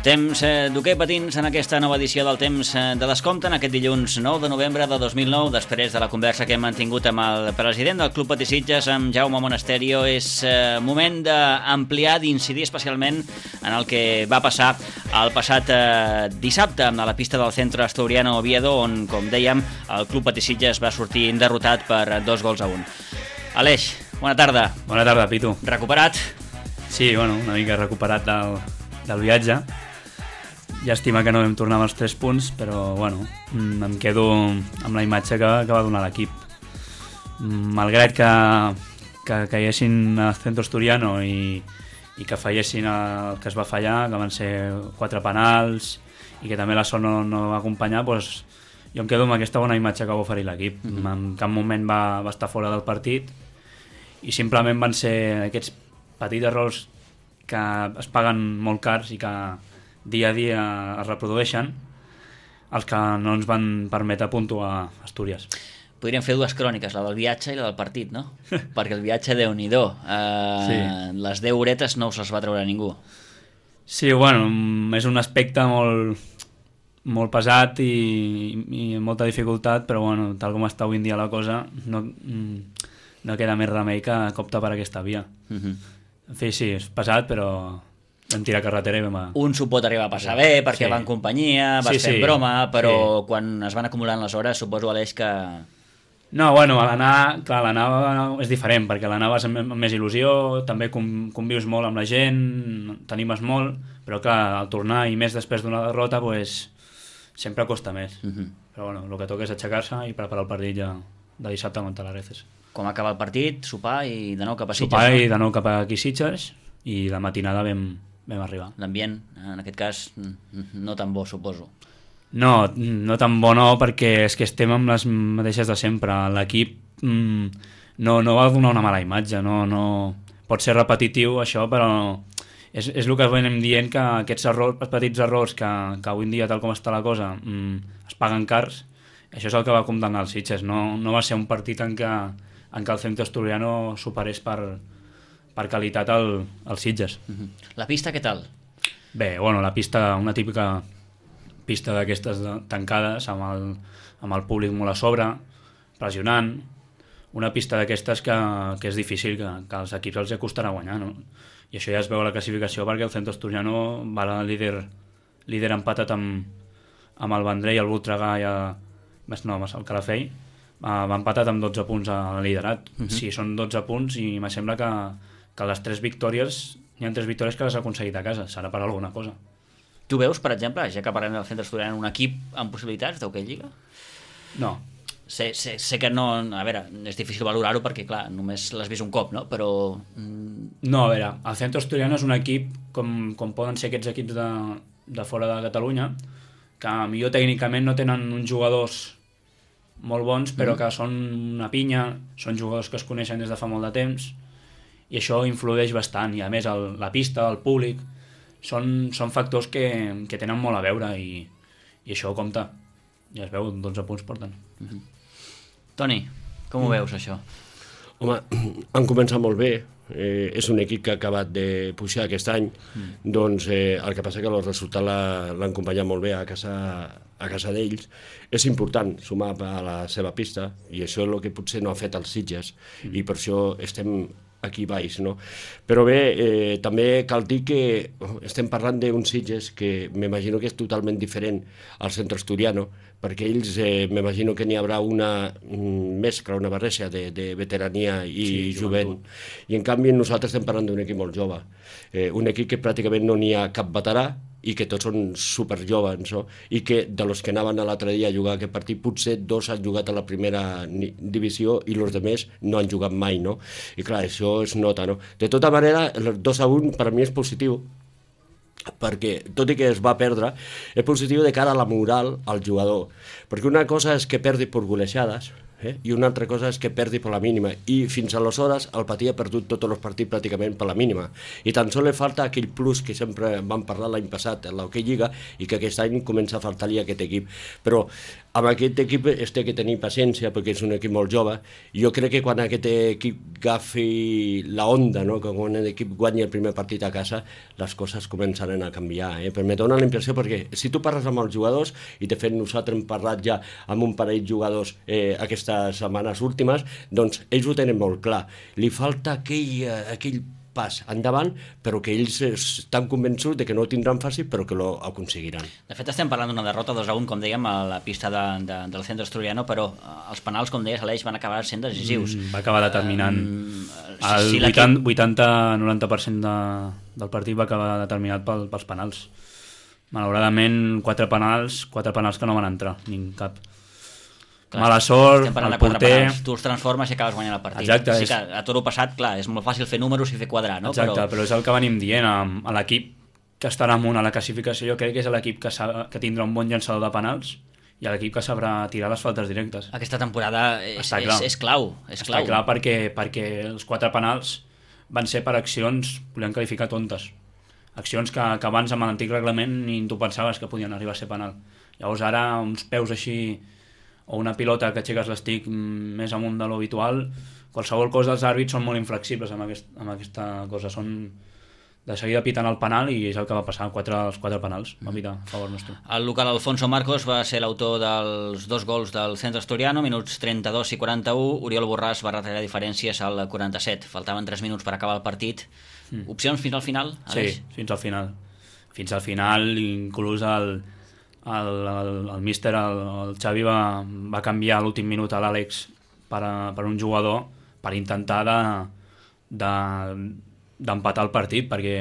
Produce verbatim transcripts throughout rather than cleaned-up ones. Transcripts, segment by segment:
Temps eh, d'hoquei patins en aquesta nova edició del Temps eh, de Descompte, en aquest dilluns nou de novembre de dos mil nou, després de la conversa que hem mantingut amb el president del Club Patí Sitges, amb Jaume Monasterio. És eh, moment d'ampliar, d'incidir especialment en el que va passar el passat eh, dissabte a la pista del Centro Asturiano Oviedo, on, com dèiem, el Club Patí Sitges va sortir derrotat per dos gols a un. Aleix, bona tarda. Bona tarda, Pitu. Recuperat? Sí, bueno, una mica recuperat del, del viatge. Llàstima que no vam tornar amb els tres punts, però bueno, em quedo amb la imatge que, que va donar l'equip. Malgrat que, que caiguessin al Centro Asturiano i, i que fallessin el que es va fallar, que van ser quatre penals i que també la sort no, no va acompanyar, doncs jo em quedo amb aquesta bona imatge que va oferir l'equip. Mm-hmm. En cap moment va, va estar fora del partit i simplement van ser aquests petits errors que es paguen molt cars i que dia a dia es reprodueixen, els que no ens van permetre puntuar a Astúries. Podríem fer dues cròniques, la del viatge i la del partit, no? Perquè el viatge, Déu-n'hi-do. Uh, sí. Les deu horetes no se les va treure ningú. Sí, bueno, és un aspecte molt, molt pesat i, i molta dificultat, però bueno, tal com està avui en dia la cosa, no, no queda més remei que optar per aquesta via. Uh-huh. En fi, sí, és pesat, però vam tirar carretera i vam... A... Un s'ho pot arribar a passar bé, perquè sí. Va en companyia, vas sí, fent sí. broma, però sí. Quan es van acumulant les hores, suposo, Aleix, que... No, bueno, a l'anar, clar, l'anar és diferent, perquè a l'anar vas amb més il·lusió, també convius molt amb la gent, t'animes molt, però clar, al tornar i més després d'una derrota, pues, sempre costa més. Uh-huh. Però bueno, el que toca és aixecar-se i preparar el partit ja de dissabte contra l'Areces. Com acaba el partit, sopar i de nou cap a Sitges. Sopar no? i de nou cap a aquí Sitges i la matinada vam... vam arribar. L'ambient, en aquest cas, no tan bo, suposo. No, no tan bo no, perquè és que estem amb les mateixes de sempre. L'equip mm, no, no va donar una mala imatge, no, no... pot ser repetitiu això, però és, és el que venim dient, que aquests errors, petits errors que, que avui en dia, tal com està la cosa, mm, es paguen cars. Això és el que va condemnar els Sitges. No, no va ser un partit en què, en què el Centro Asturiano superés per... per qualitat al, al Sitges. Uh-huh. La pista, què tal? Bé, bueno, la pista, una típica pista d'aquestes tancades, amb el, amb el públic molt a sobre, pressionant, una pista d'aquestes que, que és difícil, que, que als equips els costarà guanyar, no? I això ja es veu a la classificació, perquè el Centro Asturiano va a líder, líder empatat amb, amb el Vendrell, el Voltregà i el, no, el Calafell, va empatat amb dotze punts al liderat. Uh-huh. Sí, són dotze punts i me sembla que que les tres victòries, hi ha tres victòries que les ha aconseguit a casa, serà per alguna cosa. Tu veus, per exemple, ja que parlem del Centre Asturiano, un equip amb possibilitats d'hoquei lliga? No. Sé, sé, sé que no... A veure, és difícil valorar-ho perquè, clar, només l'has vist un cop, no? Però... No, a veure, el Centre Asturiano és un equip, com, com poden ser aquests equips de, de fora de Catalunya, que millor tècnicament no tenen uns jugadors molt bons, però mm. que són una pinya, són jugadors que es coneixen des de fa molt de temps, i això influeix bastant, i a més el, la pista, el públic, són, són factors que, que tenen molt a veure i, i això compta. Ja es veu, dotze punts porten. Mm-hmm. Toni, com ho mm. veus, això? Home, han començat molt bé, eh, és un equip que ha acabat de pujar aquest any, mm. doncs eh, el que passa que el resultat l'han acompanyat molt bé a casa, a casa d'ells. És important sumar a la seva pista, i això és el que potser no ha fet els Sitges, mm. i per això estem aquí baix, no? Però bé, eh, també cal dir que estem parlant d'un Sitges que m'imagino que és totalment diferent al Centre Asturiano, perquè ells eh, m'imagino que n'hi haurà una mescla, una barreja de, de veterania i sí, jovent, i en canvi nosaltres estem parlant d'un equip molt jove, eh, un equip que pràcticament no n'hi ha cap veterà i que tots són superjovens, no? I que de los que anaven l'altre dia a jugar aquest partit, potser dos han jugat a la primera divisió i els altres no han jugat mai, no? I clar, això es nota, no? De tota manera, el dos a un per a mi és positiu, perquè tot i que es va perdre, és positiu de cara a la moral al jugador, perquè una cosa és que perdi per golejades, Eh? I una altra cosa és que perdi per la mínima, i fins aleshores el Patí ha perdut tots els partits pràcticament per la mínima, i tan sols li falta aquell plus que sempre vam parlar l'any passat en l'Hockey Lliga, i que aquest any comença a faltar-li a aquest equip. Però amb aquest equip es té que tenir paciència perquè és un equip molt jove. Jo crec que quan aquest equip agafi la onda, no? Que quan l'equip guanyi el primer partit a casa, les coses començaran a canviar, eh? Però me dona la impressió, perquè si tu parles amb els jugadors, i de fet nosaltres hem parlat ja amb un parell de jugadors eh, aquestes setmanes últimes, doncs ells ho tenen molt clar. Li falta aquell, aquell pas endavant, però que ells estan convençuts de que no ho tindran fàcil, però que ho aconseguiran. De fet, estem parlant d'una derrota dos a un, com dèiem, a la pista de, de, del Centre Asturiano, però els penals, com deies, Aleix, van acabar sent decisius. Mm, va acabar determinant. Um, si, si el vuitanta a noranta per cent de, del partit va acabar determinat pel, pels penals. Malauradament, quatre penals, quatre penals que no van entrar, ni cap. Clar, mala sort, el porter... Tu els transformes i acabes guanyant el partit. Exacte. Sí és... que a tot el passat, clar, és molt fàcil fer números i fer quadrar, no? Exacte, però, però és el que venim dient a, a l'equip que estarà amunt a la classificació. Jo crec que és l'equip que, que tindrà un bon llançador de penals i l'equip que sabrà tirar les faltes directes. Aquesta temporada és, és, és clau. És Està clau. clar perquè, perquè els quatre penals van ser per accions, volem qualificar tontes. Accions que, que abans amb l'antic reglament ni tu pensaves que podien arribar a ser penal. Llavors ara uns peus així o una pilota que aixeques l'estic més amunt de l'habitual, qualsevol cosa dels àrbits són molt inflexibles amb, aquest, amb aquesta cosa. Són de seguida pitant el penal i és el que va passar, quatre, els quatre penals va pitar a favor nostre. El local Alfonso Marcos va ser l'autor dels dos gols del Centre Asturiano, minuts trenta-dos i quaranta-u. Oriol Borràs va retallar diferències al quaranta-set. Faltaven tres minuts per acabar el partit. Mm. Opcions fins al final, Aleix? Sí, fins al final. Fins al final, inclús el... El, el, el míster, el, el Xavi va, va canviar a l'últim minut a l'Àlex per, a, per un jugador per intentar de, de, d'empatar el partit, perquè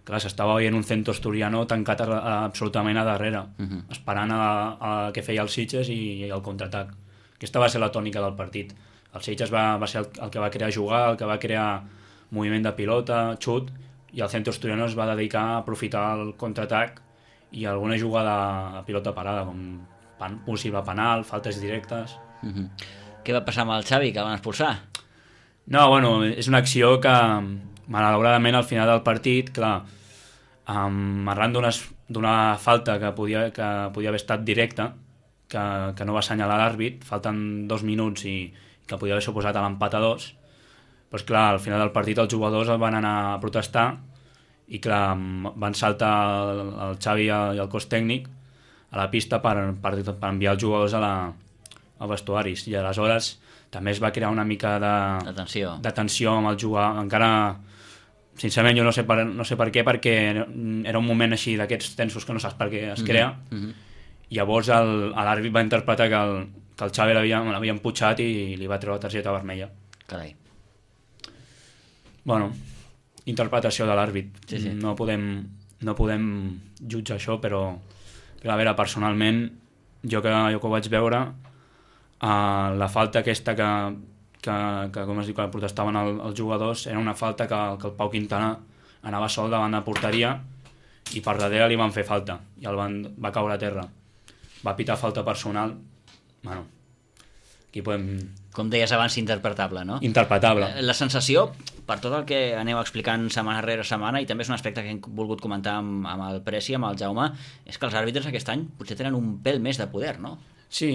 clar, s'estava veient un Centre Asturiano tancat a, a, absolutament a darrere, uh-huh. esperant a, a que feia el Sitges i, i el contraatac. Aquesta va ser la tònica del partit. El Sitges va, va ser el, el que va crear jugar, el que va crear moviment de pilota, xut, i el Centre Asturiano es va dedicar a aprofitar el contraatac i alguna jugada a pilota parada, com pan, possible penal, faltes directes. Uh-huh. Què va passar amb el Xavi, que el van expulsar? No, bueno, és una acció que, malauradament, al final del partit, clar, um, arran d'una falta que podia, que podia haver estat directa, que, que no va assenyalar l'àrbit, falten dos minuts i que podia haver suposat a l'empat a dos, doncs clar, al final del partit els jugadors van anar a protestar i clar, van saltar el, el Xavi i el cos tècnic a la pista per, per, per enviar els jugadors a la, als vestuaris, i aleshores també es va crear una mica de, de tensió. de tensió amb el jugador. Encara, sincerament, jo no sé per, no sé per què, perquè era un moment així d'aquests tensos que no saps per què es crea, mm-hmm. Llavors l'àrbit va interpretar que el, que el Xavi l'havia emputxat i li va treure la targeta vermella. Carai. Bueno, interpretació de l'àrbit. Sí, sí. No podem, no podem jutjar això, però, però a veure, personalment, jo que, jo que ho vaig veure, uh, la falta aquesta que, que, que com es diu, que protestaven el, els jugadors, era una falta que, que el Pau Quintana anava sol davant de porteria i per darrere li van fer falta i el van, va caure a terra. Va pitar falta personal. Bueno, aquí podem... Com deies abans, interpretable, no? Interpretable. La sensació, per tot el que aneu explicant setmana rere setmana, i també és un aspecte que hem volgut comentar amb, amb el Preci, amb el Jaume, és que els àrbitres aquest any potser tenen un pèl més de poder, no? Sí,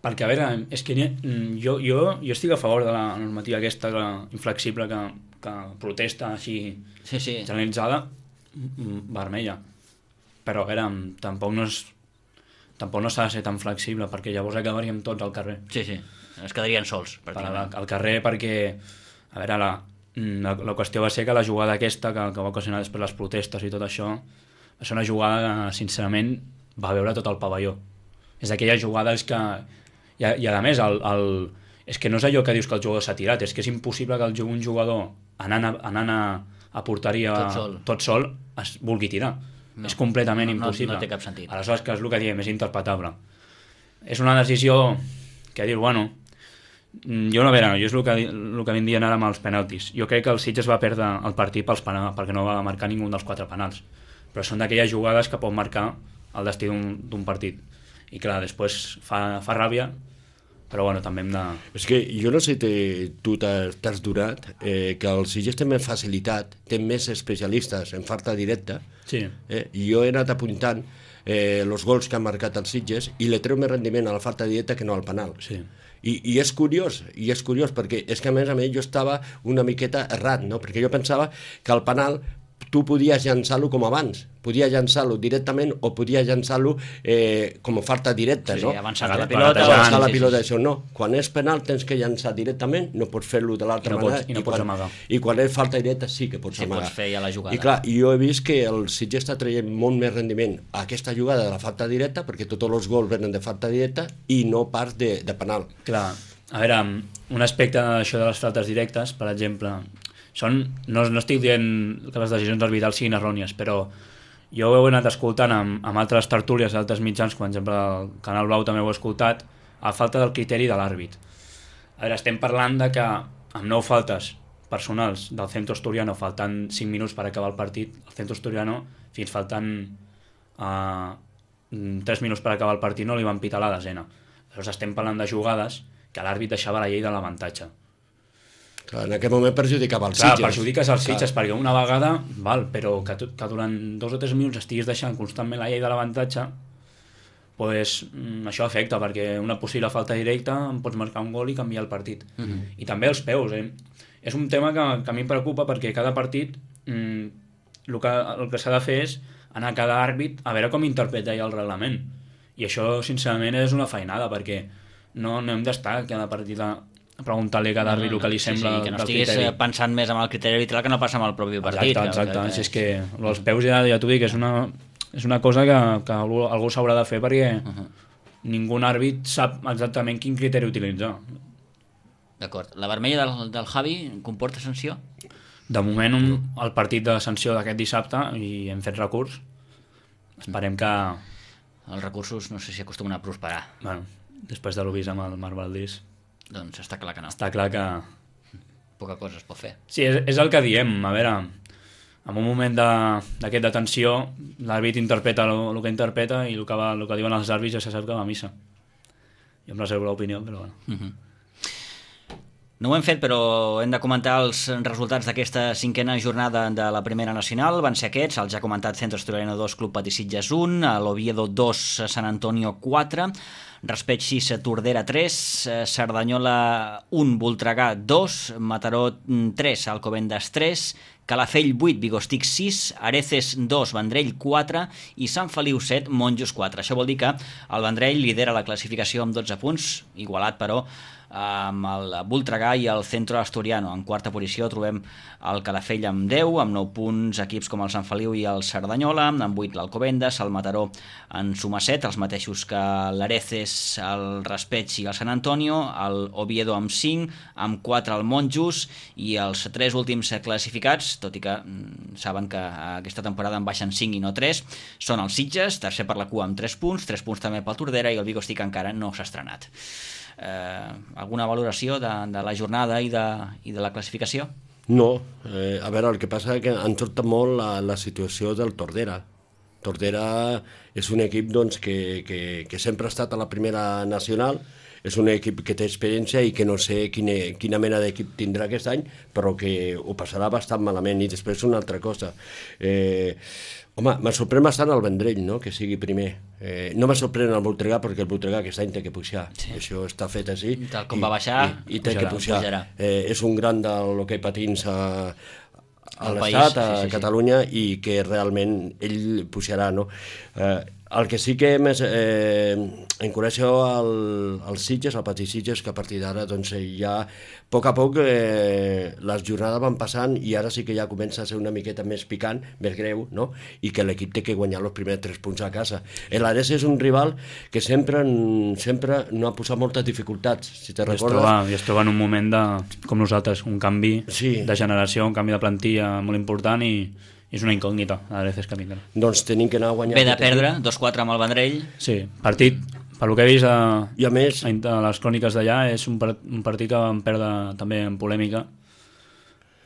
perquè, a veure, és que jo, jo, jo estic a favor de la normativa aquesta la inflexible que, que protesta així sí, sí. generalitzada, vermella. Però, a veure, tampoc no és... tampoc no s'ha de ser tan flexible, perquè llavors acabaríem tots al carrer. Sí, sí, es quedarien sols. Al, al carrer perquè, a veure, la, la, la qüestió va ser que la jugada aquesta, que, que va ocasionar després les protestes i tot això, va ser una jugada que, sincerament, va veure tot el pavelló. És d'aquelles jugades que... I, i a més, el, el, és que no és allò que dius que el jugador s'ha tirat, és que és impossible que el, un jugador, anant a, anant a, a porteria tot sol, tot sol es vulgui tirar. No, és completament no, impossible. No, no té cap sentit. Aleshores, que és el que diem, és interpretable. És una decisió que dius, bueno, jo no, a veure, jo és el que, el que vam dir ara amb els penaltis. Jo crec que el Sitges va perdre el partit pels penals, perquè no va marcar ningú dels quatre penals. Però són d'aquelles jugades que pot marcar el destí d'un partit. I clar, després fa, fa ràbia, però bueno, també hem de... És que jo no sé si tu t'has donat eh, que el Sitges té més facilitat, té més especialistes en falta directa. Sí. Eh? I jo he anat apuntant eh, els gols que han marcat els Sitges i le treu més rendiment a la falta directa que no al penal. Sí. I, i és curiós, i és curiós perquè és que a més a més jo estava una miqueta errat, no? Perquè jo pensava que al penal tu podies llançar-lo com abans, podies llançar-lo directament o podies llançar-lo eh, com a falta directa, sí, no? Sí, avançar la Avançar pilota. Avançar la sí, pilota, sí, sí. això no. Quan és penal tens que llançar directament, no pots fer-lo de l'altra I no manera. pots- i no pots quan, amagar. I quan és falta directa sí que pots Sí, amagar. pots fer ja la jugada. I clar, jo he vist que el Sitges està traient molt més rendiment a aquesta jugada de la falta directa, perquè tots els gols venen de falta directa i no pas de, de penal. Clar, a veure, un aspecte d'això de les faltes directes, per exemple, són, no, no estic dient que les decisions arbitrals siguin errònies, però jo ho he anat escoltant amb, amb altres tertúlies, altres mitjans, com per exemple el Canal Blau també ho he escoltat, a falta del criteri de l'àrbit. A veure, estem parlant de que amb nou faltes personals del Centro Asturiano, faltant cinc minuts per acabar el partit, el Centro Asturiano, fins faltant uh, tres minuts per acabar el partit, no li van pitar la desena. Llavors estem parlant de jugades que l'àrbit deixava la llei de l'avantatge. Clar, en aquest moment perjudicava els Clar, Sitges. perjudiques els Sitges, perquè una vegada, val, però que, tu, que durant dos o tres minuts estiguis deixant constantment la llei de l'avantatge, pues, mm, això afecta, perquè una possible falta directa em pots marcar un gol i canviar el partit. Uh -huh. I també els peus, eh? És un tema que, que a mi em preocupa perquè cada partit mm, el que, el que s'ha de fer és anar a cada àrbit a veure com interpreta ell el reglament. I això, sincerament, és una feinada, perquè no, no hem d'estar cada partit a preguntar-li a cada àrbit el que li sembla sí, sí, que no del estiguis criteri. pensant més en el criteri arbitral que no passa amb el propi partit. Exacte, exacte. Que, que... Si és que els peus ja, ja t'ho dic, és una, és una cosa que, que algú, algú s'haurà de fer perquè uh -huh. ningú àrbit sap exactament quin criteri utilitzar. D'acord. La vermella del, del Javi comporta sanció? De moment, un, el partit de sanció d'aquest dissabte i hem fet recurs. Esperem que... Els recursos no sé si acostumen a prosperar. Bueno, després de l'ho vist amb el Marc Valdís, Doncs està clar que no. està clar que... Poca cosa es pot fer. Sí, és, és el que diem. A veure, en un moment d'aquest de, de tensió, l'àrbit interpreta el, el que interpreta i el que, va, el que diuen els àrbits ja se sap que va a missa. Jo em reservo l'opinió, però bueno. Uh -huh. No ho hem fet, però hem de comentar els resultats d'aquesta cinquena jornada de la Primera Nacional. Van ser aquests, el ja comentat Centro Asturiano dos, Club Patí Sitges un, l'Oviedo dos, San Antonio quatre, Raspeig sis, Tordera tres, Cerdanyola un, Voltregà dos, Mataró tres, Alcobendas tres, Calafell vuit, Vigostic sis, Areces dos, Vendrell quatre i Sant Feliu set, Monjos quatre. Això vol dir que el Vendrell lidera la classificació amb dotze punts, igualat però amb el Voltregà i el Centro Asturiano. En quarta posició trobem el Calafell amb deu, amb nou punts equips com el Sant Feliu i el Cerdanyola, amb vuit l'Alcobendas, el Mataró en suma set, els mateixos que l'Areces, el Raspeig i el Sant Antonio, el Oviedo amb cinc, amb quatre el Monjos i els tres últims classificats, tot i que mm, saben que aquesta temporada en baixen cinc i no tres, són els Sitges, tercer per la cua amb tres punts, tres punts també pel Tordera i el Vigostic encara no s'ha estrenat. Eh, alguna valoració de, de la jornada i de, i de la classificació? No, eh, a veure, el que passa és que ens sorta molt la, la situació del Tordera. Tordera és un equip doncs, que, que, que sempre ha estat a la primera nacional, és un equip que té experiència i que no sé quina, quina mena d'equip tindrà aquest any, però que ho passarà bastant malament. I després una altra cosa. Eh, home, me sorprèn bastant el Vendrell, no?, que sigui primer. Eh, no me sorprèn el Voltregà, perquè el Voltregà aquest any té que pujar. Sí. Això està fet així. Tal com va baixar, i, i té pujarà, que pujar. pujarà. Eh, és un gran del hoquei patins a, a Al l'Estat, país, a sí, sí, sí. Catalunya, i que realment ell pujarà, no? Eh, el que sí que més eh, encoratjo al, als Sitges, al Patí Sitges, que a partir d'ara doncs, ja a poc a poc eh, les jornades van passant i ara sí que ja comença a ser una miqueta més picant, més greu, no? I que l'equip té que guanyar els primers tres punts a casa. L'Ares és un rival que sempre, sempre no ha posat moltes dificultats, si te I es, recordes. troba, I es troba en un moment de, com nosaltres, un canvi Sí. de generació, un canvi de plantilla molt important i és una incògnita a veces que vindrà. Doncs tenim que anar a guanyar. Ve de aquest equip. perdre, dos quatre amb el Vendrell. Sí, partit, per lo que he vist a, I a més, a, a les cròniques d'allà, és un, part, un partit que vam perdre també en polèmica.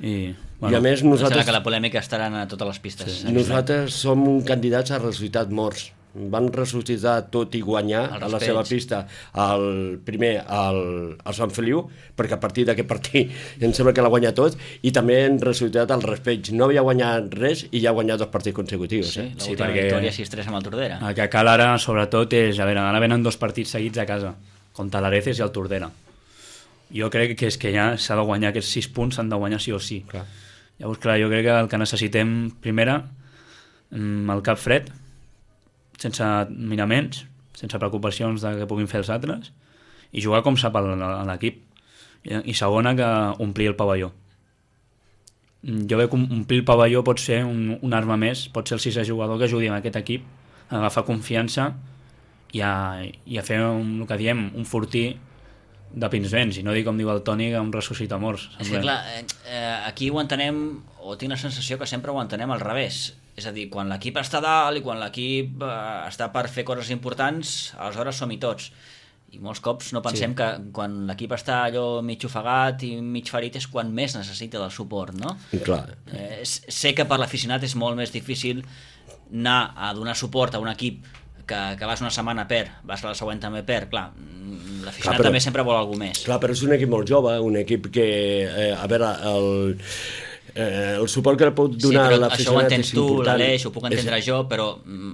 I, i a més Nosaltres... nosaltres, que la polèmica estarà a totes les pistes. Sí. Sí. nosaltres som un candidats a resultats morts, van ressuscitar tot i guanyar a la seva pista el primer al, al Sant Feliu, perquè a partir d'aquest partit em sembla que l'ha guanyat tot, i també han ressuscitat el respeig. No havia guanyat res i ja ha guanyat dos partits consecutius. Sí, eh? l'última sí, victòria sis tres amb el Tordera. El que cal ara, sobretot, és... A veure, ara venen dos partits seguits a casa, contra l'Areces i el Tordera. Jo crec que és que ja s'ha de guanyar aquests sis punts, s'han de guanyar sí o sí. Clar. Llavors, clar, jo crec que el que necessitem, primera, el cap fred, sense miraments, sense preocupacions de que puguin fer els altres, i jugar com sap l'equip. I segona, que omplir el pavelló. Jo veig que omplir el pavelló pot ser un, un arma més, pot ser el sisè jugador que ajudi a aquest equip a agafar confiança i a, i a fer un, el que diem, un fortí de Pinsbens, i no dic com diu el Toni, que un ressuscita morts. És que clar, eh, aquí ho entenem, o tinc la sensació que sempre ho entenem al revés. És a dir, quan l'equip està dalt i quan l'equip eh, està per fer coses importants, aleshores som-hi tots. I molts cops no pensem sí. que quan l'equip està allò mig ofegat i mig ferit és quan més necessita del suport, no? Clar. Eh, sé que per l'aficionat és molt més difícil anar a donar suport a un equip que, que vas una setmana per, vas a la següent també per, clar, l'aficionat també sempre vol alguna més. Clar, però és un equip molt jove, un equip que, eh, a veure, el, eh, el suport que pot donar sí, a l'aficionat és important. Això ho entens tu, l'Aleix, ho puc entendre és, jo, però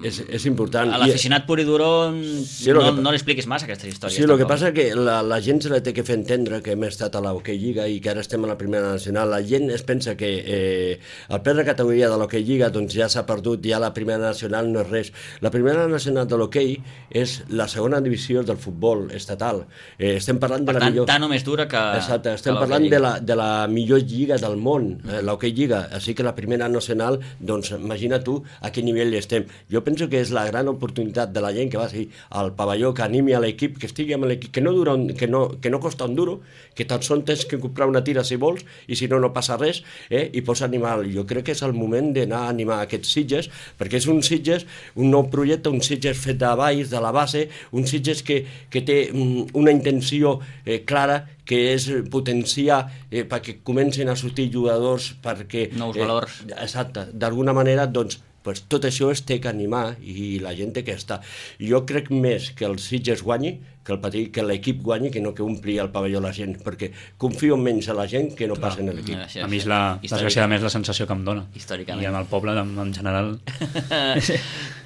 és, és important. A l'aficionat pur i duró sí, no, que, no li expliquis massa aquestes històries. Sí, el que passa que la, la gent se la té que fer entendre que hem estat a l'Hockey Lliga i que ara estem a la primera nacional. La gent es pensa que eh, el pes de categoria de l'Hockey Lliga doncs ja s'ha perdut, ja la primera nacional no és res. La primera nacional de l'hoquei és la segona divisió del futbol estatal. Eh, estem parlant per de la tant, millor... tant o més dura que... Exacte, estem parlant de la, de la millor lliga del món, eh, l'Hockey Lliga. Així que la primera nacional, doncs imagina tu a quin nivell estem. Jo penso que és la gran oportunitat de la gent que va ser al pavelló, que animi a l'equip, que estigui amb l'equip, que no dura un, que, no, que no costa un duro, que tan sols tens que comprar una tira si vols, i si no, no passa res, eh, i pots animar. Jo crec que és el moment d'anar a animar aquests Sitges, perquè és un Sitges, un nou projecte, un Sitges fet de baix, de la base, un Sitges que, que té mm, una intenció eh, clara, que és potenciar eh, perquè comencin a sortir jugadors perquè... Nous eh, valors. Exacte. D'alguna manera, doncs, pues, tot això es té que animar i la gent té que estar. Jo crec més que el Sitges guanyi, que el petit, que l'equip guanyi, que no que ompli el pavelló la gent, perquè confio menys a la gent que no pas en l'equip. A mi és la, desgraciadament, la sensació que em dona. Històricament. I amb el poble, en, en general...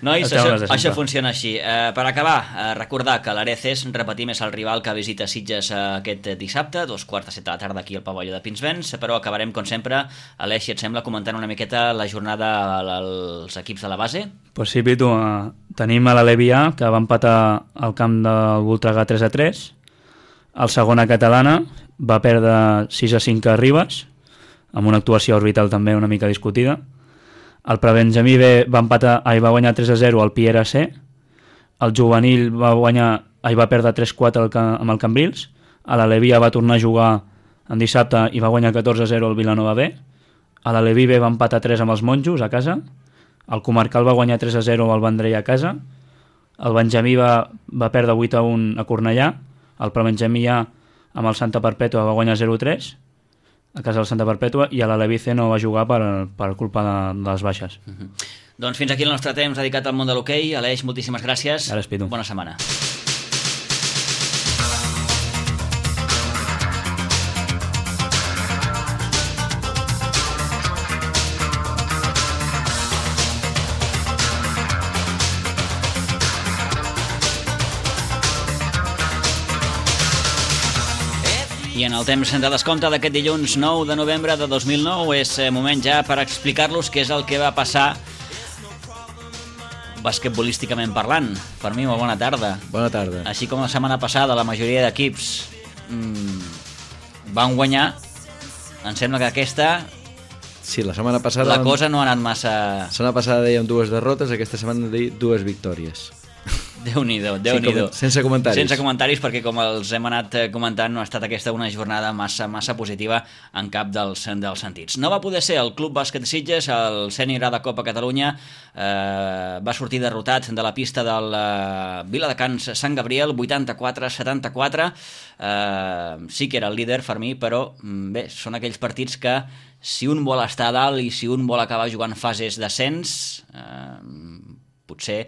Nois, això, això funciona així. Uh, per acabar, uh, recordar que l'Areces, repetim, és el rival que visita Sitges uh, aquest dissabte, dos quarts de set de la tarda aquí al pavelló de Pinsbens, però acabarem, com sempre, Aleix, si et sembla, comentant una miqueta la jornada als equips de la base. Pues sí, Pitu, uh, tenim a l'Alevià, que va empatar al camp del Voltregà tres a tres, el segona catalana va perdre sis a cinc a Ribes, amb una actuació orbital també una mica discutida. El Prebenjamí B va, empatar, ai, va guanyar tres a zero al Piera C, el juvenil va guanyar, ai, va perdre tres a quatre amb el Cambrils, a l'Alevià va tornar a jugar en dissabte i va guanyar catorze a zero al Vilanova B, a l'Aleví B va empatar tres amb els Monjos a casa, el Comarcal va guanyar tres a zero al Vendrell a casa, el Benjamí va, va perdre vuit a un a Cornellà, el Prebenjamí A amb el Santa Perpètua va guanyar zero a tres a casa del Santa Perpètua, i a l'Aleví C no va jugar per, per culpa de, de les baixes. Uh-huh. Doncs fins aquí el nostre temps dedicat al món de l'hoquei. Aleix, moltíssimes gràcies. Gràcies, Pitu. Bona setmana. I en el temps de descompte d'aquest dilluns nou de novembre de dos mil nou és moment ja per explicar-los què és el que va passar basquetbolísticament parlant. Per mi, molt bona tarda. Bona tarda. Així com la setmana passada la majoria d'equips mmm, van guanyar, em sembla que aquesta... Sí, la setmana passada... La cosa no ha anat massa... La setmana passada dèiem dues derrotes, aquesta setmana dèiem dues victòries. Déu-n'hi-do, Déu-n'hi-do. Sí, sense comentaris. Sense comentaris, perquè com els hem anat comentant, no ha estat aquesta una jornada massa massa positiva en cap dels, dels sentits. No va poder ser el Club Bàsquet Sitges, el Sènior A de Copa Catalunya, eh, va sortir derrotat de la pista del eh, Viladecans Sant Gabriel, vuitanta-quatre a setanta-quatre. Eh, sí que era el líder, Fermí, però bé, són aquells partits que si un vol estar a dalt i si un vol acabar jugant fases d'ascens, eh, potser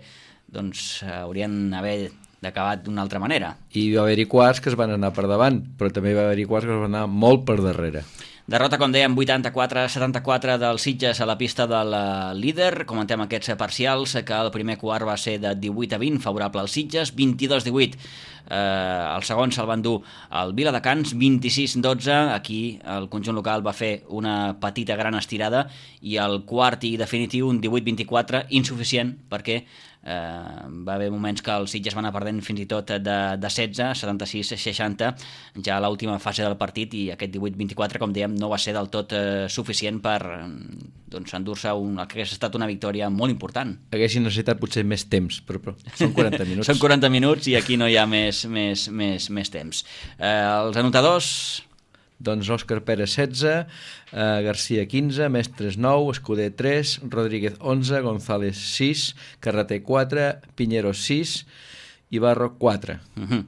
doncs haurien d'haver d'acabat d'una altra manera. I va haver-hi quarts que es van anar per davant, però també va haver-hi quarts que es van anar molt per darrere. Derrota, com dèiem, vuitanta-quatre a setanta-quatre del Sitges a la pista del líder. Comentem aquests parcials, que el primer quart va ser de divuit a vint, favorable al Sitges, vint-i-dos divuit. Eh, el segon se'l van dur al Viladecans, vint-i-sis dotze. Aquí el conjunt local va fer una petita gran estirada, i el quart i definitiu, un divuit vint-i-quatre, insuficient, perquè eh, va haver moments que els Sitges van anar perdent fins i tot de, de setze, setanta-sis seixanta, ja a l'última fase del partit, i aquest divuit vint-i-quatre, com dèiem, no va ser del tot eh, suficient per doncs, endur-se un, el que hagués estat una victòria molt important. Haguessin necessitat potser més temps, però, però són quaranta minuts. Són quaranta minuts i aquí no hi ha més, més, més, més temps. Eh, els anotadors... Doncs Òscar Pérez setze, eh, Garcia quinze, Mestres nou, Escuder tres, Rodríguez onze, González sis, Carreter quatre, Piñero sis, Ibarro quatre. Uh-huh.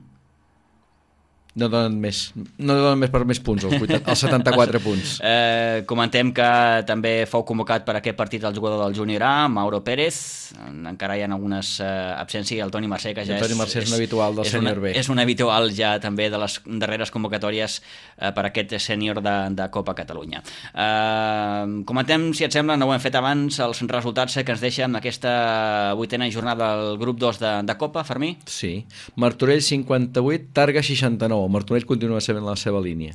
No donen més, no donen més per més punts, els, vuitanta, els setanta-quatre punts. Eh, comentem que també fou convocat per aquest partit el jugador del Júnior A, Mauro Pérez. Encara hi ha algunes eh, absències, el Toni Mercè, que ja el Toni Mercè és, és un habitual del sènior B. És un habitual ja també de les darreres convocatòries eh, per aquest sènior de, de Copa Catalunya. Eh, comentem, si et sembla, no ho hem fet abans, els resultats que ens deixa en aquesta vuitena jornada del grup dos de, de Copa, Fermí? Sí, Martorell cinquanta-vuit, Targa seixanta-nou. Martorell continua sent la seva línia.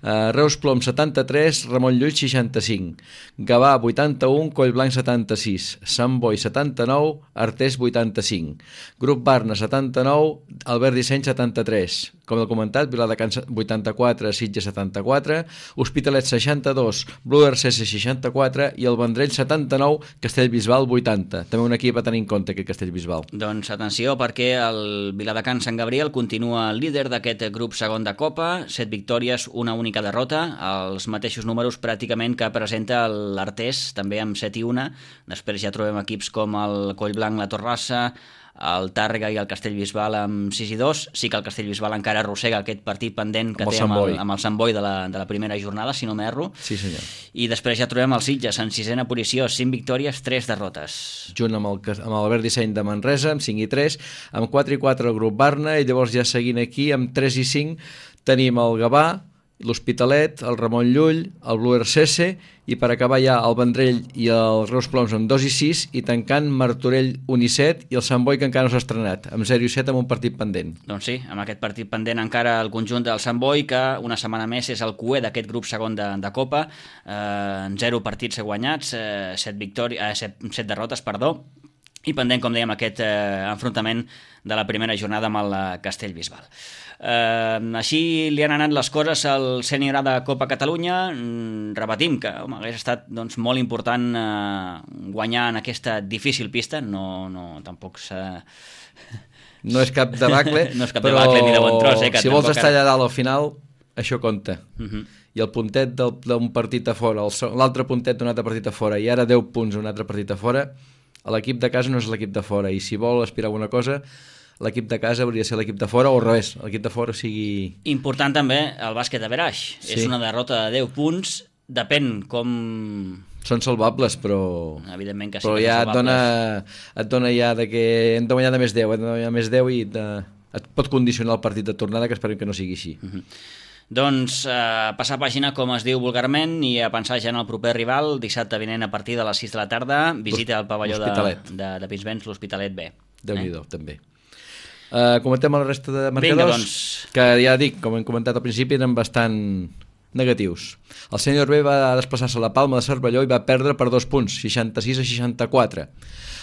Uh, Reus Plom setanta-tres, Ramon Llull seixanta-cinc, Gavà vuitanta-un, Collblanc setanta-sis, Sant Boi setanta-nou, Artés vuitanta-cinc, Grup Barna setanta-nou, Albert Disseny setanta-tres, com he comentat, Viladecans vuitanta-quatre, Sitges setanta-quatre, Hospitalet seixanta-dos, Blue R C S seixanta-quatre i el Vendrell setanta-nou, Castellbisbal vuitanta. També un equip a tenir en compte, aquest Castellbisbal. Doncs atenció, perquè el Viladecans Sant Gabriel continua líder d'aquest grup segon de Copa, set victòries, una única derrota, els mateixos números pràcticament que presenta l'Artés, també amb set i una. Després ja trobem equips com el Collblanc, la Torrassa, el Tàrrega i el Castellbisbal amb sis i dos. Sí que el Castellbisbal encara arrossega aquest partit pendent que amb té amb el, amb el Sant Boi de la, de la primera jornada, si no m'erro. Sí, senyor. I després ja trobem el Sitges en sisena posició, cinc victòries, tres derrotes. Junt amb el, amb l'Albert Disseny de Manresa, amb cinc i tres, amb quatre i quatre el grup Barna, i llavors ja seguint aquí, amb tres i cinc, tenim el Gavà, l'Hospitalet, el Ramon Llull, el Blue R C S, i per acabar ja el Vendrell i el Reus Ploms amb dos i sis, i tancant Martorell un i set, i el Sant Boi, que encara no s'ha estrenat, amb zero i set, amb un partit pendent. Doncs sí, amb aquest partit pendent encara el conjunt del Sant Boi, que una setmana més és el cuer d'aquest grup segon de, de Copa, eh, en zero partits guanyats, eh, set, victòri- eh, set, set derrotes, perdó, i pendent, com dèiem, aquest eh, enfrontament de la primera jornada amb el Castellbisbal. Eh, així li han anat les coses al sènior A de Copa Catalunya. Mm, repetim que home, hagués estat doncs, molt important eh, guanyar en aquesta difícil pista. No, no tampoc s'ha... No és cap debacle, no és cap però debacle ni de bon tros, eh, que si vols tampoc estar ara... allà dalt al final, això compta. Uh -huh. I el puntet del- d'un partit a fora, el so- l'altre puntet d'un altre partit a fora, i ara deu punts d'un altre partit a fora, l'equip de casa no és l'equip de fora, i si vol aspirar a alguna cosa, l'equip de casa hauria de ser l'equip de fora, o al revés, l'equip de fora sigui... Important també el bàsquet a Veraix. Sí. És una derrota de deu punts, depèn com... Són salvables, però... Evidentment que sí, però que ja són et dona, salvables. et dona ja de que hem de guanyar de més deu, hem de guanyar més deu i de, et pot condicionar el partit de tornada, que esperem que no sigui així. Uh-huh. Doncs eh, passar pàgina, com es diu vulgarment, i a pensar ja en el proper rival, dissabte vinent a partir de les sis de la tarda, visita al pavelló de, de, de Pinsbens, l'Hospitalet B. Déu-n'hi-do, eh? també. Uh, comentem la resta de marcadors, Vinga, doncs. que ja dic, com hem comentat al principi, eren bastant negatius. El sènior B va desplaçar-se a la Palma de Cervelló i va perdre per dos punts, seixanta-sis a seixanta-quatre.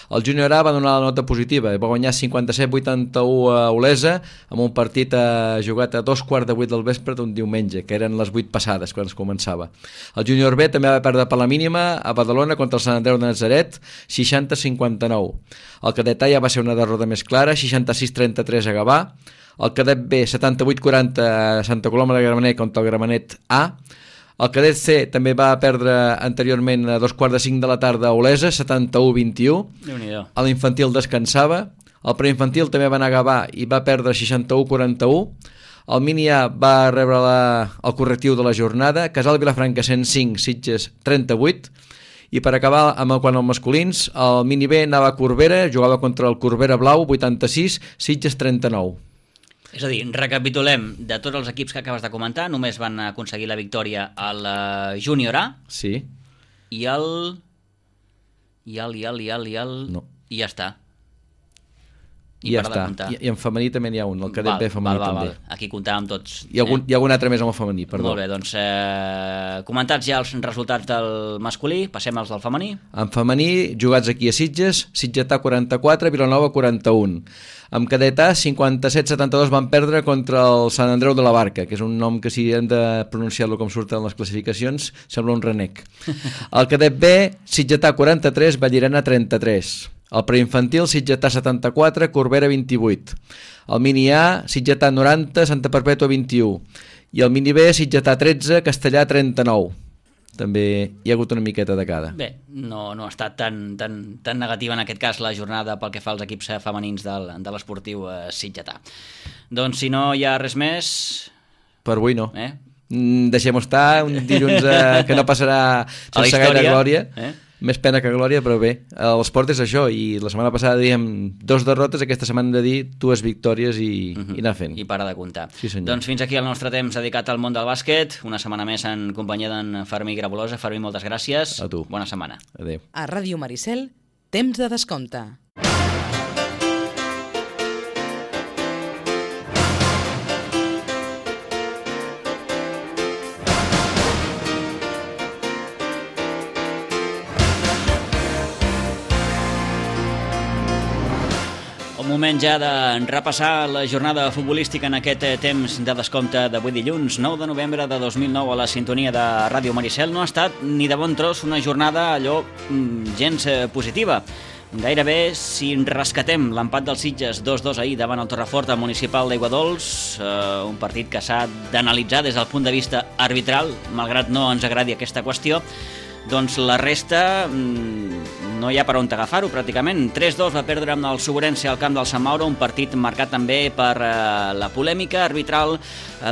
El júnior A va donar la nota positiva i va guanyar cinquanta-set a vuitanta-u a Olesa, amb un partit eh, jugat a dos quarts de vuit del vespre d'un diumenge, que eren les vuit passades quan es començava. El júnior B també va perdre per la mínima a Badalona contra el Sant Andreu de Nazaret, seixanta a cinquanta-nou. El cadet A ja va ser una derrota més clara, seixanta-sis a trenta-tres a Gavà. El cadet B, setanta-vuit a quaranta a Santa Coloma de Gramenet contra el Gramenet A. El cadet C també va perdre anteriorment a dos quarts de cinc de la tarda a Olesa, setanta-u a vint-i-u. Déu-n'hi-do. A l'infantil descansava. El preinfantil també va anar a Gavà i va perdre seixanta-u a quaranta-u. El mini A va rebre la, el correctiu de la jornada. Casal Vilafranca cent cinc, Sitges trenta-vuit. I per acabar amb el, quan els masculins, el mini B anava a Corbera, jugava contra el Corbera Blau, vuitanta-sis, Sitges trenta-nou. És a dir, recapitulem, de tots els equips que acabes de comentar, només van aconseguir la victòria al Júnior A. Sí. I el... I el, i el, i el, i el... No. I ja està. I, I ja està. I, I en femení també n'hi ha un, el cadet val, B femení val, val, també. Val. Aquí comptàvem tots. Hi ha, algun, eh? hi ha algun altre més amb el femení, perdó. Molt bé, doncs eh, comentats ja els resultats del masculí, passem als del femení. En femení, jugats aquí a Sitges, Sitgetà quaranta-quatre, Vilanova quaranta-un. Amb cadet A, cinquanta-set setanta-dos van perdre contra el Sant Andreu de la Barca, que és un nom que si hem de pronunciar-lo com surten les classificacions, sembla un renec. El cadet B, Sitgetà quaranta-tres, Vallirana trenta-tres. El preinfantil, Sitgetà setanta-quatre, Corbera vint-i-vuit. El mini A, Sitgetà noranta, Santa Perpètua vint-i-u. I el mini B, Sitgetà tretze, Castellà trenta-nou. També hi ha hagut una miqueta de cada. Bé, no, no ha estat tan, tan, tan negativa en aquest cas la jornada pel que fa als equips femenins del, de l'esportiu eh, sitgetà. Doncs si no hi ha res més... Per avui no. Eh? Mm, deixem estar, un dilluns eh, que no passarà sense gaire glòria. Eh? Més pena que glòria, però bé, l'esport és això, i la setmana passada dèiem dos derrotes, aquesta setmana hem de dir dues victòries i, uh -huh. i anar fent. I para de comptar. Sí, senyor. Doncs fins aquí el nostre temps dedicat al món del bàsquet, una setmana més en companyia d'en Fermí Grabolosa. Fermí, moltes gràcies. A tu. Bona setmana. Adéu. A Ràdio Maricel, temps de descompte. Moment ja de repassar la jornada futbolística en aquest temps de descompte d'avui dilluns, nou de novembre de dos mil nou, a la sintonia de Ràdio Maricel. No ha estat ni de bon tros una jornada allò gens positiva. Gairebé, si rescatem l'empat dels Sitges dos dos ahir davant el Torrefort municipal d'Aiguadols, eh, un partit que s'ha d'analitzar des del punt de vista arbitral, malgrat no ens agradi aquesta qüestió, doncs la resta no hi ha per on agafar-ho pràcticament. tres dos va perdre amb el Suburense al camp del Sant Mauro, un partit marcat també per eh, la polèmica arbitral.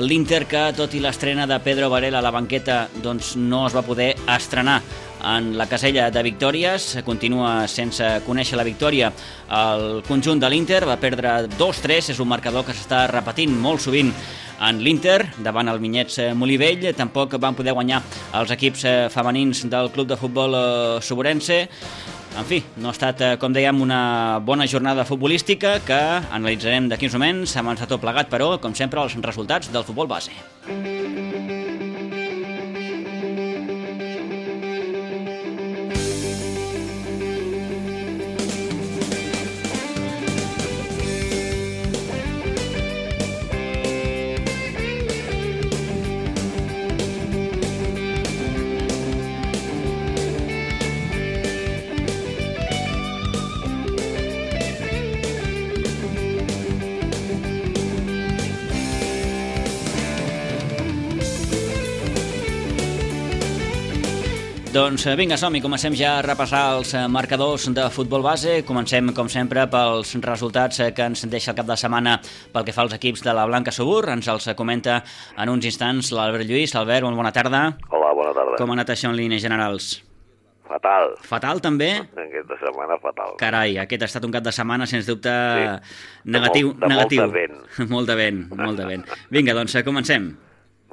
L'Inter, que tot i l'estrena de Pedro Varela a la banqueta, doncs no es va poder estrenar en la casella de victòries, continua sense conèixer la victòria. El conjunt de l'Inter va perdre dos tres, és un marcador que s'està repetint molt sovint en l'Inter, davant el Minyets Molivell. Tampoc van poder guanyar els equips femenins del club de futbol Suburense. En fi, no ha estat, com dèiem, una bona jornada futbolística que analitzarem d'aquí uns moments. Hem avançat tot plegat, però, com sempre, els resultats del futbol base. Doncs vinga, som-hi, comencem ja a repassar els marcadors de futbol base. Comencem, com sempre, pels resultats que ens deixa el cap de setmana pel que fa als equips de la Blanca Subur. Ens els comenta en uns instants l'Albert Lluís. Albert, molt bona tarda. Hola, bona tarda. Com ha anat això en línies generals? Fatal. Fatal, també? Aquesta setmana, fatal. Carai, aquest ha estat un cap de setmana, sens dubte, sí. negatiu. De, molt, de negatiu. molt de vent. Molt de vent, molt de vent. Vinga, doncs, comencem.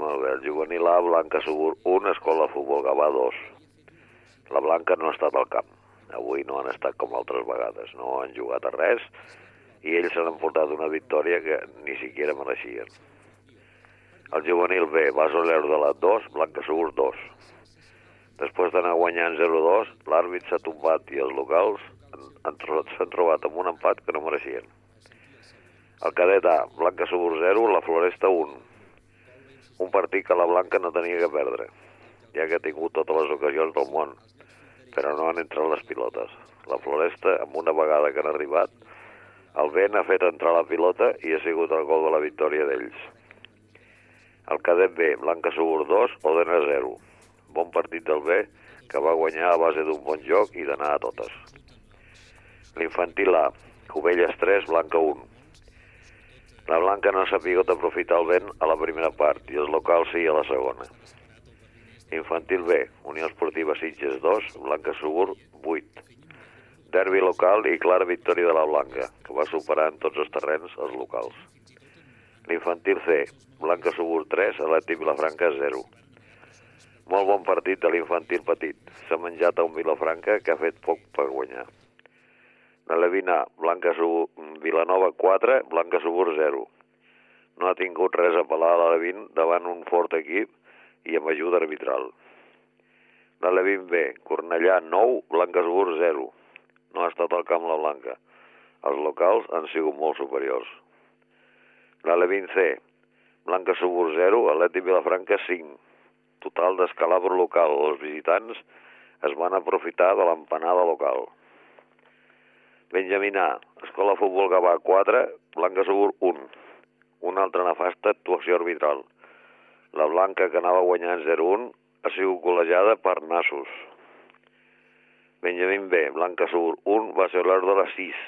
Molt bé, el juvenil A, Blanca Subur un, Escola de Futbol Gavà dos. La Blanca no ha estat al camp. Avui no han estat com altres vegades. No han jugat a res i ells s'han emportat una victòria que ni siquiera mereixien. El juvenil B, Basoler de la dos, Blanca Subur dos. Després d'anar guanyant zero dos, l'àrbit s'ha tombat i els locals s'han trobat amb un empat que no mereixien. El cadet A, Blanca Subur zero, la Floresta un. Un partit que la Blanca no tenia que perdre, ja que ha tingut totes les ocasions del món, però no han entrat les pilotes. La Floresta, amb una vegada que han arribat, el vent ha fet entrar la pilota i ha sigut el gol de la victòria d'ells. El cadet B, Blanca Subur dos, Odena zero. Bon partit del B, que va guanyar a base d'un bon joc i d'anar a totes. L'infantil A, Cubelles tres, Blanca un. La Blanca no s'ha sabut aprofitar el vent a la primera part i els locals sí a la segona. Infantil B, Unió Esportiva Sitges dos, Blanca Subur vuit. Derbi local i clara victòria de la Blanca, que va superar en tots els terrenys els locals. L'infantil C, Blanca Subur tres, Atlètic Vilafranca zero. Molt bon partit de l'infantil petit. S'ha menjat a un Vilafranca que ha fet poc per guanyar. L'Alevin A, Blanca Subur, Vilanova quatre, Blanca Subur zero. No ha tingut res a pelar a l'Alevin davant un fort equip i amb ajuda arbitral. L'Alevin B, Cornellà nou, Blanca Subur zero. No ha estat al camp la Blanca. Els locals han sigut molt superiors. L'Alevin C, Blanca Subur zero, Atlètic Vilafranca cinc. Total d'escalabro local. Els visitants es van aprofitar de l'empanada local. Benjamín A, Escola Futbol Gavà quatre, Blanca Subur un. Una altra nefasta actuació arbitral. La Blanca, que anava guanyant zero un, ha sigut golejada per nassos. Benjamín B, Blanca Subur un, va ser l'hora de les sis.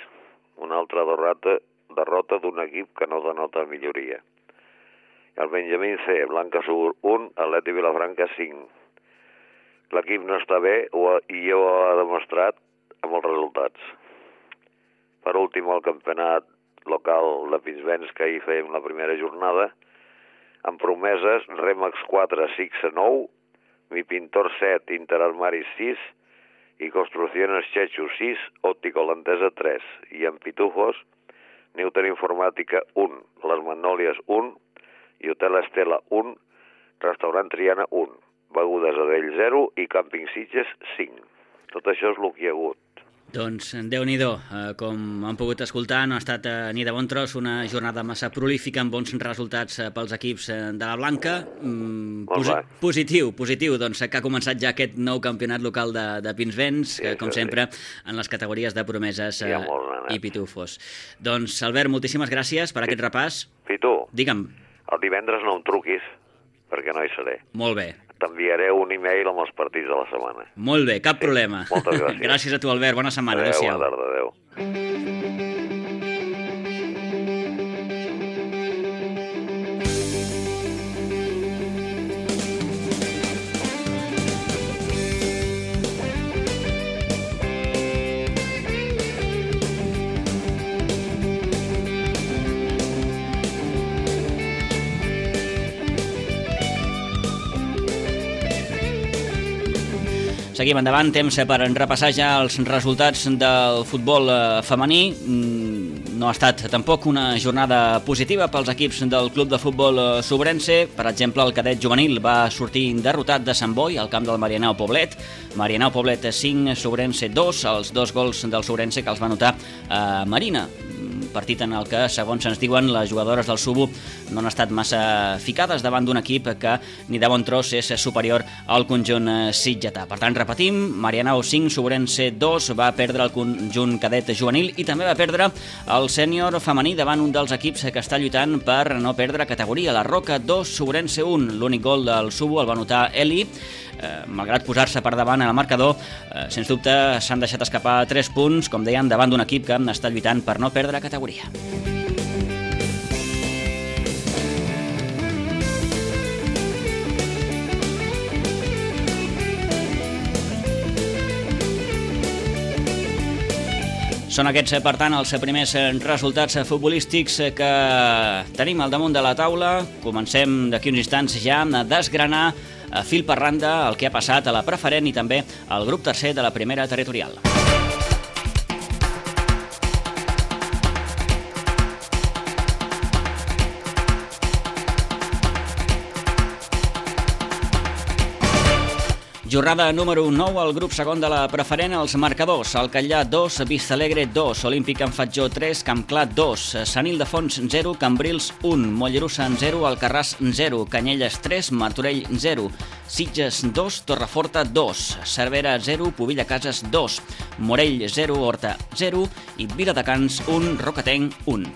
Una altra derrota, derrota d'un equip que no denota milloria. El Benjamín C, Blanca Subur un, Atlètic Vilafranca cinc. L'equip no està bé i ja ho ha demostrat amb els resultats. Per últim, el campionat local de Pinsbens, que ahir fèiem la primera jornada, amb promeses, Remax quatre, Sixa nou, Mi Pintor set, Interarmaris sis, i Construcciones Chechu sis, Òptico Holandesa tres, i en Pitufos, Newton Informàtica un, Les Magnòlies un, i Hotel Estela un, Restaurant Triana un, Begudes Adell zero i Càmping Sitges cinc. Tot això és el que hi ha hagut. Doncs Déu-n'hi-do, eh, com han pogut escoltar, no ha estat eh, ni de bon tros una jornada massa prolífica amb bons resultats eh, pels equips eh, de la Blanca. Mm, posi positiu, positiu, doncs que ha començat ja aquest nou campionat local de, de Pinsbens, sí, que com sempre sí, en les categories de promeses eh, i pitufos. Doncs Albert, moltíssimes gràcies per aquest repàs. Pitu, digue'm. El divendres no em truquis, perquè no hi seré. Molt bé. T'enviaré un e-mail amb els partits de la setmana. Molt bé, cap sí, problema. Moltes gràcies. Gràcies a tu, Albert. Bona setmana. Adéu, adéu-siau. Bona tarda, adéu. Seguim endavant, temps per repassar ja els resultats del futbol femení. No ha estat tampoc una jornada positiva pels equips del club de futbol sobrense. Per exemple, el cadet juvenil va sortir derrotat de Sant Boi al camp del Marianao Poblet. Marianao Poblet cinc, Sobrense dos, els dos gols del Sobrense que els va anotar a Marina. Partit en el que, segons ens diuen, les jugadores del Subu no han estat massa ficades davant d'un equip que ni de bon tros és superior al conjunt sitgetà. Per tant, repetim, Marianao cinc, Sobrense dos, va perdre el conjunt cadet juvenil i també va perdre el sènior femení davant un dels equips que està lluitant per no perdre categoria. La Roca dos, Sobrense un. L'únic gol del Subu el va anotar Eli. Eh, malgrat posar-se per davant en el marcador, eh, sens dubte s'han deixat escapar tres punts, com deien, davant d'un equip que està lluitant per no perdre categoria. Són aquests, per tant, els primers resultats futbolístics que tenim al damunt de la taula. Comencem d'aquí uns instants ja a desgranar a fil per randa el que ha passat a la preferent i també al grup tercer de la primera territorial. Jornada número nou al grup segon de la preferent, els marcadors: el Catllà dos, Vistalegre dos, Olímpic Can Fatjó tres, Campclar dos, Sant Ildefons zero, Cambrils un, Mollerussa zero, Alcarràs zero, Canyelles tres, Martorell zero, Sitges dos, Torreforta dos, Cervera zero, Pobilla Cases dos, Morell zero, Horta zero i Viladecans un, Rocatenc un.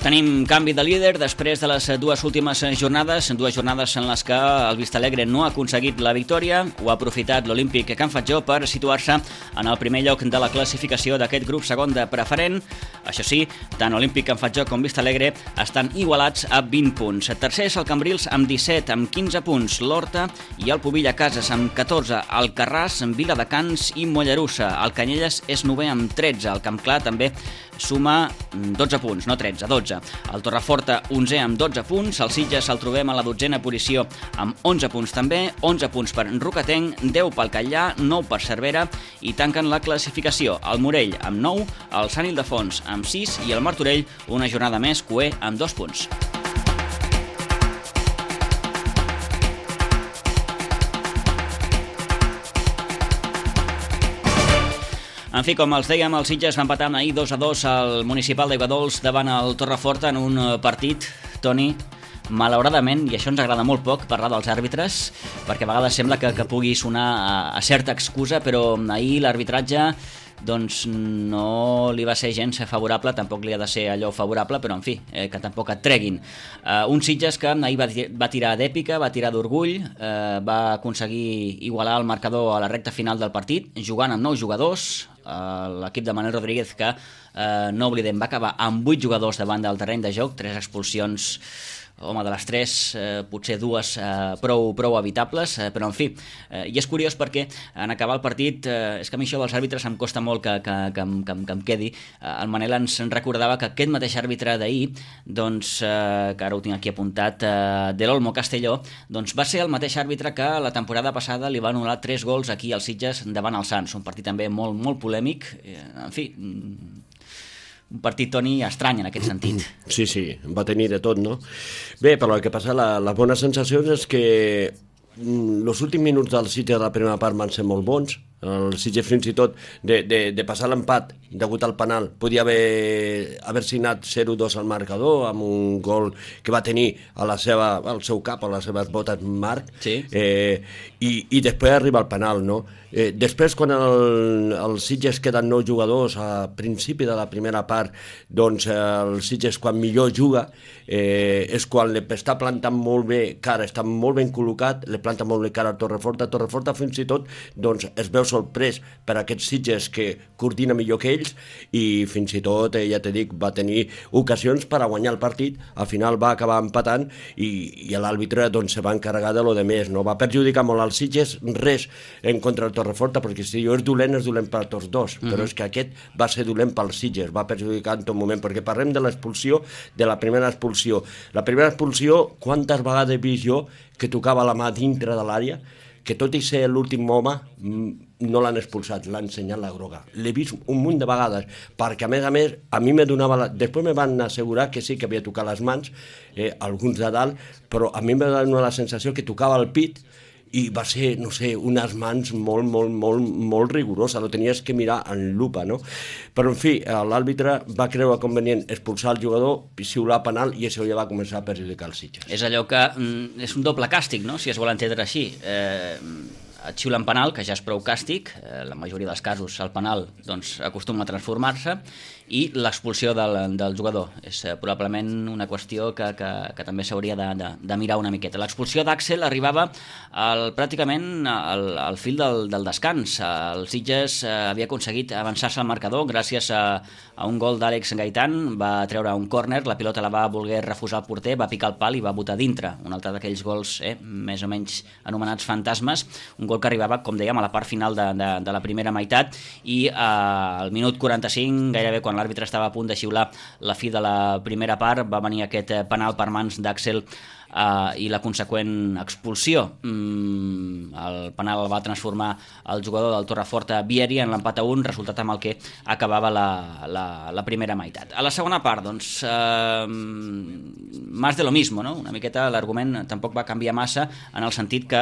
Tenim canvi de líder després de les dues últimes jornades, dues jornades en les que el Vistalegre no ha aconseguit la victòria. Ho ha aprofitat l'Olímpic Can Fatjó per situar-se en el primer lloc de la classificació d'aquest grup segon de preferent. Això sí, tant Olímpic Can Fatjó com Vistalegre estan igualats a vint punts. Tercer és el Cambrils amb disset, amb quinze punts l'Horta i el Pobilla Cases amb catorze, el Carràs, Viladecans i Mollerussa. El Canyelles és novè amb tretze, el Campclar també suma dotze punts, no tretze, dotze. El Torreforta, onzè amb dotze punts, el Sitges el trobem a la dotzena posició amb onze punts també, onze punts per Rocatenc, deu pel Catllà, nou per Cervera i tanquen la classificació el Morell amb nou, el Sant Ildefons amb sis i el Martorell una jornada més coer amb dos punts. En fi, com els dèiem, el Sitges va empatar ahir dos a dos al municipal d'Aiguadols davant el Torreforta en un partit, Toni, malauradament, i això ens agrada molt poc parlar dels àrbitres, perquè a vegades sembla que, que pugui sonar a, a certa excusa, però ahir l'arbitratge doncs no li va ser gens favorable, tampoc li ha de ser allò favorable, però en fi, eh, que tampoc et treguin. Uh, un Sitges que ahir va, va tirar d'èpica, va tirar d'orgull, eh, va aconseguir igualar el marcador a la recta final del partit, jugant amb nou jugadors. Uh, l'equip de Manel Rodríguez, que uh, no oblidem, va acabar amb vuit jugadors davant del terreny de joc, tres expulsions. Home, de les tres, eh, potser dues eh, prou, prou evitables, eh, però en fi, eh, i és curiós perquè en acabar el partit, eh, és que a mi això dels àrbitres em costa molt que, que, que, que, que em quedi. Eh, el Manel ens recordava que aquest mateix àrbitre d'ahir, doncs, eh, que ara ho tinc aquí apuntat, eh, de l'Olmo Castelló, doncs va ser el mateix àrbitre que la temporada passada li va anul·lar tres gols aquí als Sitges davant el Sants, un partit també molt, molt polèmic, eh, en fi, un partit, Toni, estrany en aquest sentit. Sí, sí, va tenir de tot, no? Bé, però el que passa, la, les bones sensacions és que els últims minuts del Sitges de la primera part van ser molt bons. El Sitges fins i tot de, de, de passar l'empat degut al penal podia haver, haver signat zero dos al marcador amb un gol que va tenir a la seva, al seu cap, a les seves botes Marc, sí. eh, i, i després arriba el penal, no? Eh, després, quan el, el Sitges queden nou jugadors a principi de la primera part, doncs el Sitges quan millor juga eh, és quan li està plantant molt bé cara, està molt ben col·locat, li planta molt bé cara a Torreforta. Torreforta fins i tot doncs, es veu sorprès per aquests Sitges que coordina millor que ells i fins i tot, eh, ja t'he dit, va tenir ocasions per a guanyar el partit. Al final va acabar empatant i, i l'àrbitre doncs, se va encarregar de lo de més, no? Va perjudicar molt als Sitges, res en contra del Torreforta, perquè si jo és dolent, és dolent per tots dos, mm-hmm. però és que aquest va ser dolent pels Sitges, va perjudicar en tot moment, perquè parlem de l'expulsió, de la primera expulsió. La primera expulsió, quantes vegades he vist jo que tocava la mà dintre de l'àrea, que tot i ser l'últim home no l'han expulsat, l'han ensenyat la groga. L'he vist un munt de vegades, perquè a més a més, a mi me donava... La... Després me van assegurar que sí que havia tocat les mans, eh, alguns de dalt, però a mi me va donar la sensació que tocava el pit i va ser, no sé, unes mans molt, molt, molt, molt rigoroses, lo tenies que mirar en lupa, no? Però, en fi, l'àrbitre va creure convenient expulsar el jugador, xiular penal, i això ja va començar a perjudicar els Sitges. És allò que mm, és un doble càstig, no?, si es vol entendre així. Eh, et xiulen penal, que ja és prou càstig, eh, la majoria dels casos el penal doncs, acostuma a transformar-se, i l'expulsió del, del jugador. És eh, probablement una qüestió que, que, que també s'hauria de, de, de mirar una miqueta. L'expulsió d'Àxel arribava al, pràcticament al, al fil del, del descans. El Sitges eh, havia aconseguit avançar-se al marcador gràcies a, a un gol d'Àlex Gaitán, va treure un córner, la pilota la va voler refusar el porter, va picar el pal i va botar dintre. Un altre d'aquells gols eh, més o menys anomenats fantasmes, un gol que arribava, com dèiem, a la part final de, de, de la primera meitat, i eh, al minut quaranta-cinc, gairebé quan l'àrbitre estava a punt de xiular la fi de la primera part, va venir aquest penal per mans d'Àxel uh, i la conseqüent expulsió. Mm, el penal el va transformar el jugador del Torreforta Vieri en l'empat a un, resultat amb el que acabava la, la, la primera meitat. A la segona part, doncs, uh, más de lo mismo, no? Una miqueta l'argument tampoc va canviar massa, en el sentit que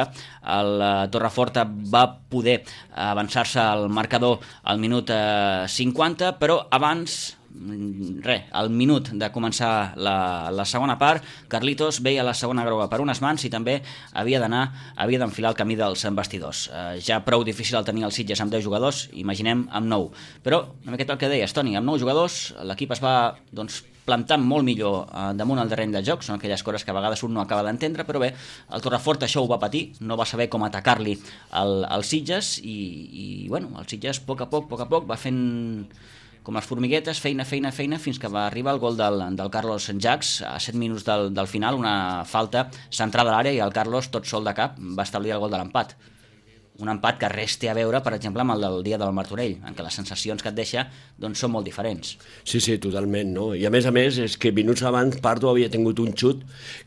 el Torreforta va poder avançar-se al marcador al minut uh, cinquanta, però abans res, al minut de començar la, la segona part, Carlitos veia la segona groga per unes mans i també havia d'anar, havia d'enfilar el camí dels vestidors. Eh, ja prou difícil el tenir el Sitges amb deu jugadors, imaginem amb nou. Però, una miqueta el que deies, Toni, amb nou jugadors l'equip es va doncs, plantant molt millor eh, damunt el terreny de joc, són aquelles coses que a vegades un no acaba d'entendre, però bé, el Torrefort això ho va patir, no va saber com atacar-li al, al Sitges i, i bueno, el Sitges a poc a poc, a poc a poc va fent com les formiguetes, feina, feina, feina, fins que va arribar el gol del, del Carlos Jax a set minuts del, del final, una falta centrada a l'àrea i el Carlos, tot sol de cap, va establir el gol de l'empat. Un empat que res té a veure, per exemple, amb el del dia del Martorell, en què les sensacions que et deixa doncs, són molt diferents. Sí, sí, totalment, no? I a més a més, és que minuts abans Pardo havia tingut un xut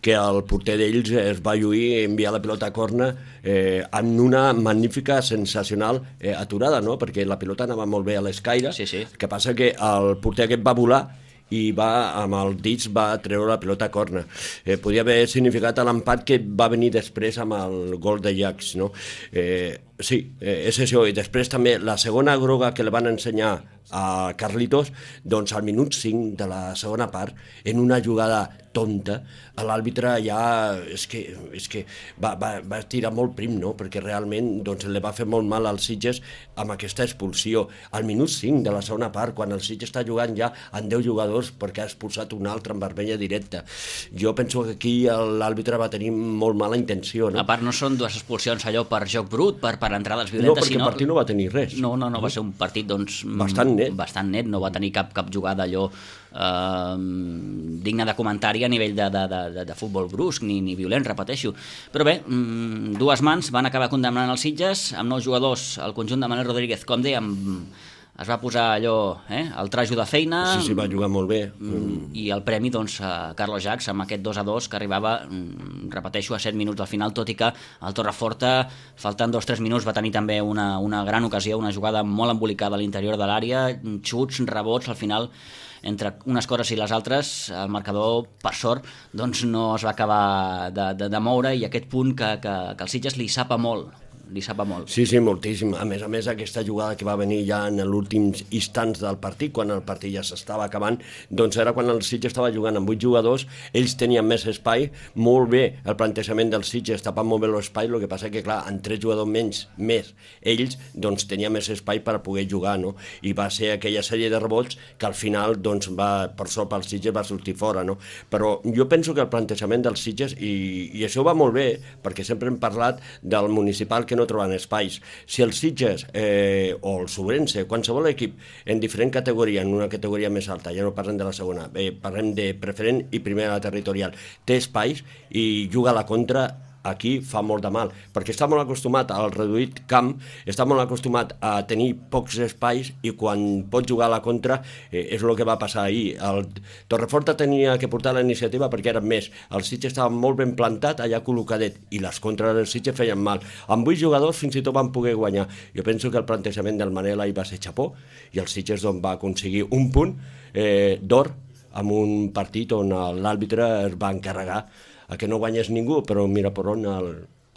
que el porter d'ells es va lluir i enviar la pilota a corna eh, en una magnífica, sensacional eh, aturada, no? Perquè la pilota anava molt bé a l'escaire, sí, sí. que passa que el porter aquest va volar i va, amb el dits va treure la pilota a corna. Eh, podia haver significat l'empat que va venir després amb el gol de Jax, no? Eh, sí, eh, és això. I després també la segona groga que li van ensenyar a Carlitos, doncs al minut cinc de la segona part, en una jugada tonta, l'àrbitre ja és que, és que va, va, va tirar molt prim, no? Perquè realment doncs, li va fer molt mal als Sitges amb aquesta expulsió. Al minut cinc de la segona part, quan el Sitges està jugant ja amb deu jugadors perquè ha expulsat un altre en vermella directa. Jo penso que aquí l'àrbitre va tenir molt mala intenció, no? A part, no són dues expulsions allò per joc brut, per, per entrades violentes, no, perquè sinó... el partit no va tenir res. No, no, no, va ser un partit doncs, bastant net. Bastant net, no va tenir cap, cap jugada allò eh, digna de comentari a nivell de, de, de, de futbol brusc, ni, ni violent, repeteixo. Però bé, dues mans van acabar condemnant els Sitges, amb nou jugadors, el conjunt de Manel Rodríguez, com dèiem, es va posar allò, eh, el trajo de feina... Sí, sí, va jugar molt bé. I el premi, doncs, a Carlos Jax, amb aquest dos a dos, que arribava, repeteixo, a set minuts del final, tot i que el Torreforta, faltant dos o tres minuts, va tenir també una, una gran ocasió, una jugada molt embolicada a l'interior de l'àrea, xuts, rebots, al final, entre unes coses i les altres, el marcador, per sort, doncs no es va acabar de, de, de moure, i aquest punt que, que, que el Sitges li sapa molt, li sapa molt. Sí, sí, moltíssim. A més a més, aquesta jugada que va venir ja en els últims instants del partit, quan el partit ja s'estava acabant, doncs era quan el Sitges estava jugant amb vuit jugadors, ells tenien més espai, molt bé el plantejament del Sitges, tapant molt bé l'espai, el que passa que, clar, amb tres jugadors menys, més ells, doncs tenia més espai per poder jugar, no? I va ser aquella sèrie de rebots que al final, doncs, va, per sort pel Sitges va sortir fora, no? Però jo penso que el plantejament del Sitges, i, i això va molt bé, perquè sempre hem parlat del municipal que no troben espais. Si el Sitges eh, o el Sobrense, qualsevol equip en diferent categoria, en una categoria més alta, ja no parlem de la segona, eh, parlem de preferent i primera territorial, té espais i juga a la contra, aquí fa molt de mal, perquè està molt acostumat al reduït camp, està molt acostumat a tenir pocs espais i quan pot jugar a la contra eh, és el que va passar ahir. El Torreforta tenia que portar la iniciativa perquè eren més, el Sitges estava molt ben plantat allà col·locadet i les contres del Sitges feien mal. Amb vuit jugadors fins i tot van poder guanyar. Jo penso que el plantejament del Manel ahir va ser xapó i el Sitges doncs, va aconseguir un punt eh, d'or amb un partit on l'àrbitre es va encarregar a que no guanyés ningú, però mira per on el,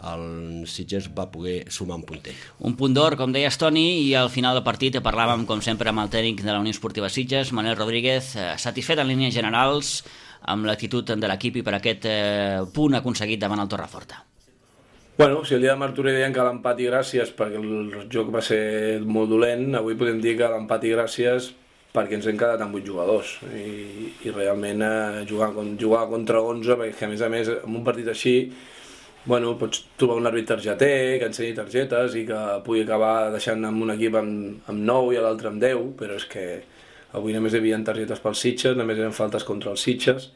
el Sitges va poder sumar un puntet. Un punt d'or, com deies, Toni, i al final del partit parlàvem, com sempre, amb el tècnic de la Unió Esportiva Sitges, Manel Rodríguez, eh, satisfet en línies generals amb l'actitud de l'equip i per aquest eh, punt aconseguit davant el Torreforta. Bueno, si el dia de Martorell deien que l'empat i gràcies perquè el joc va ser molt dolent, avui podem dir que l'empat i gràcies perquè ens hem quedat amb vuit jugadors i, i realment eh, jugar, jugar contra onze, perquè a més a més en un partit així bueno, pots trobar un àrbit targeter que ensenyi targetes i que pugui acabar deixant amb un equip amb, amb nou i l'altre amb deu, però és que avui només hi havia targetes pels Sitges, només eren faltes contra els Sitges,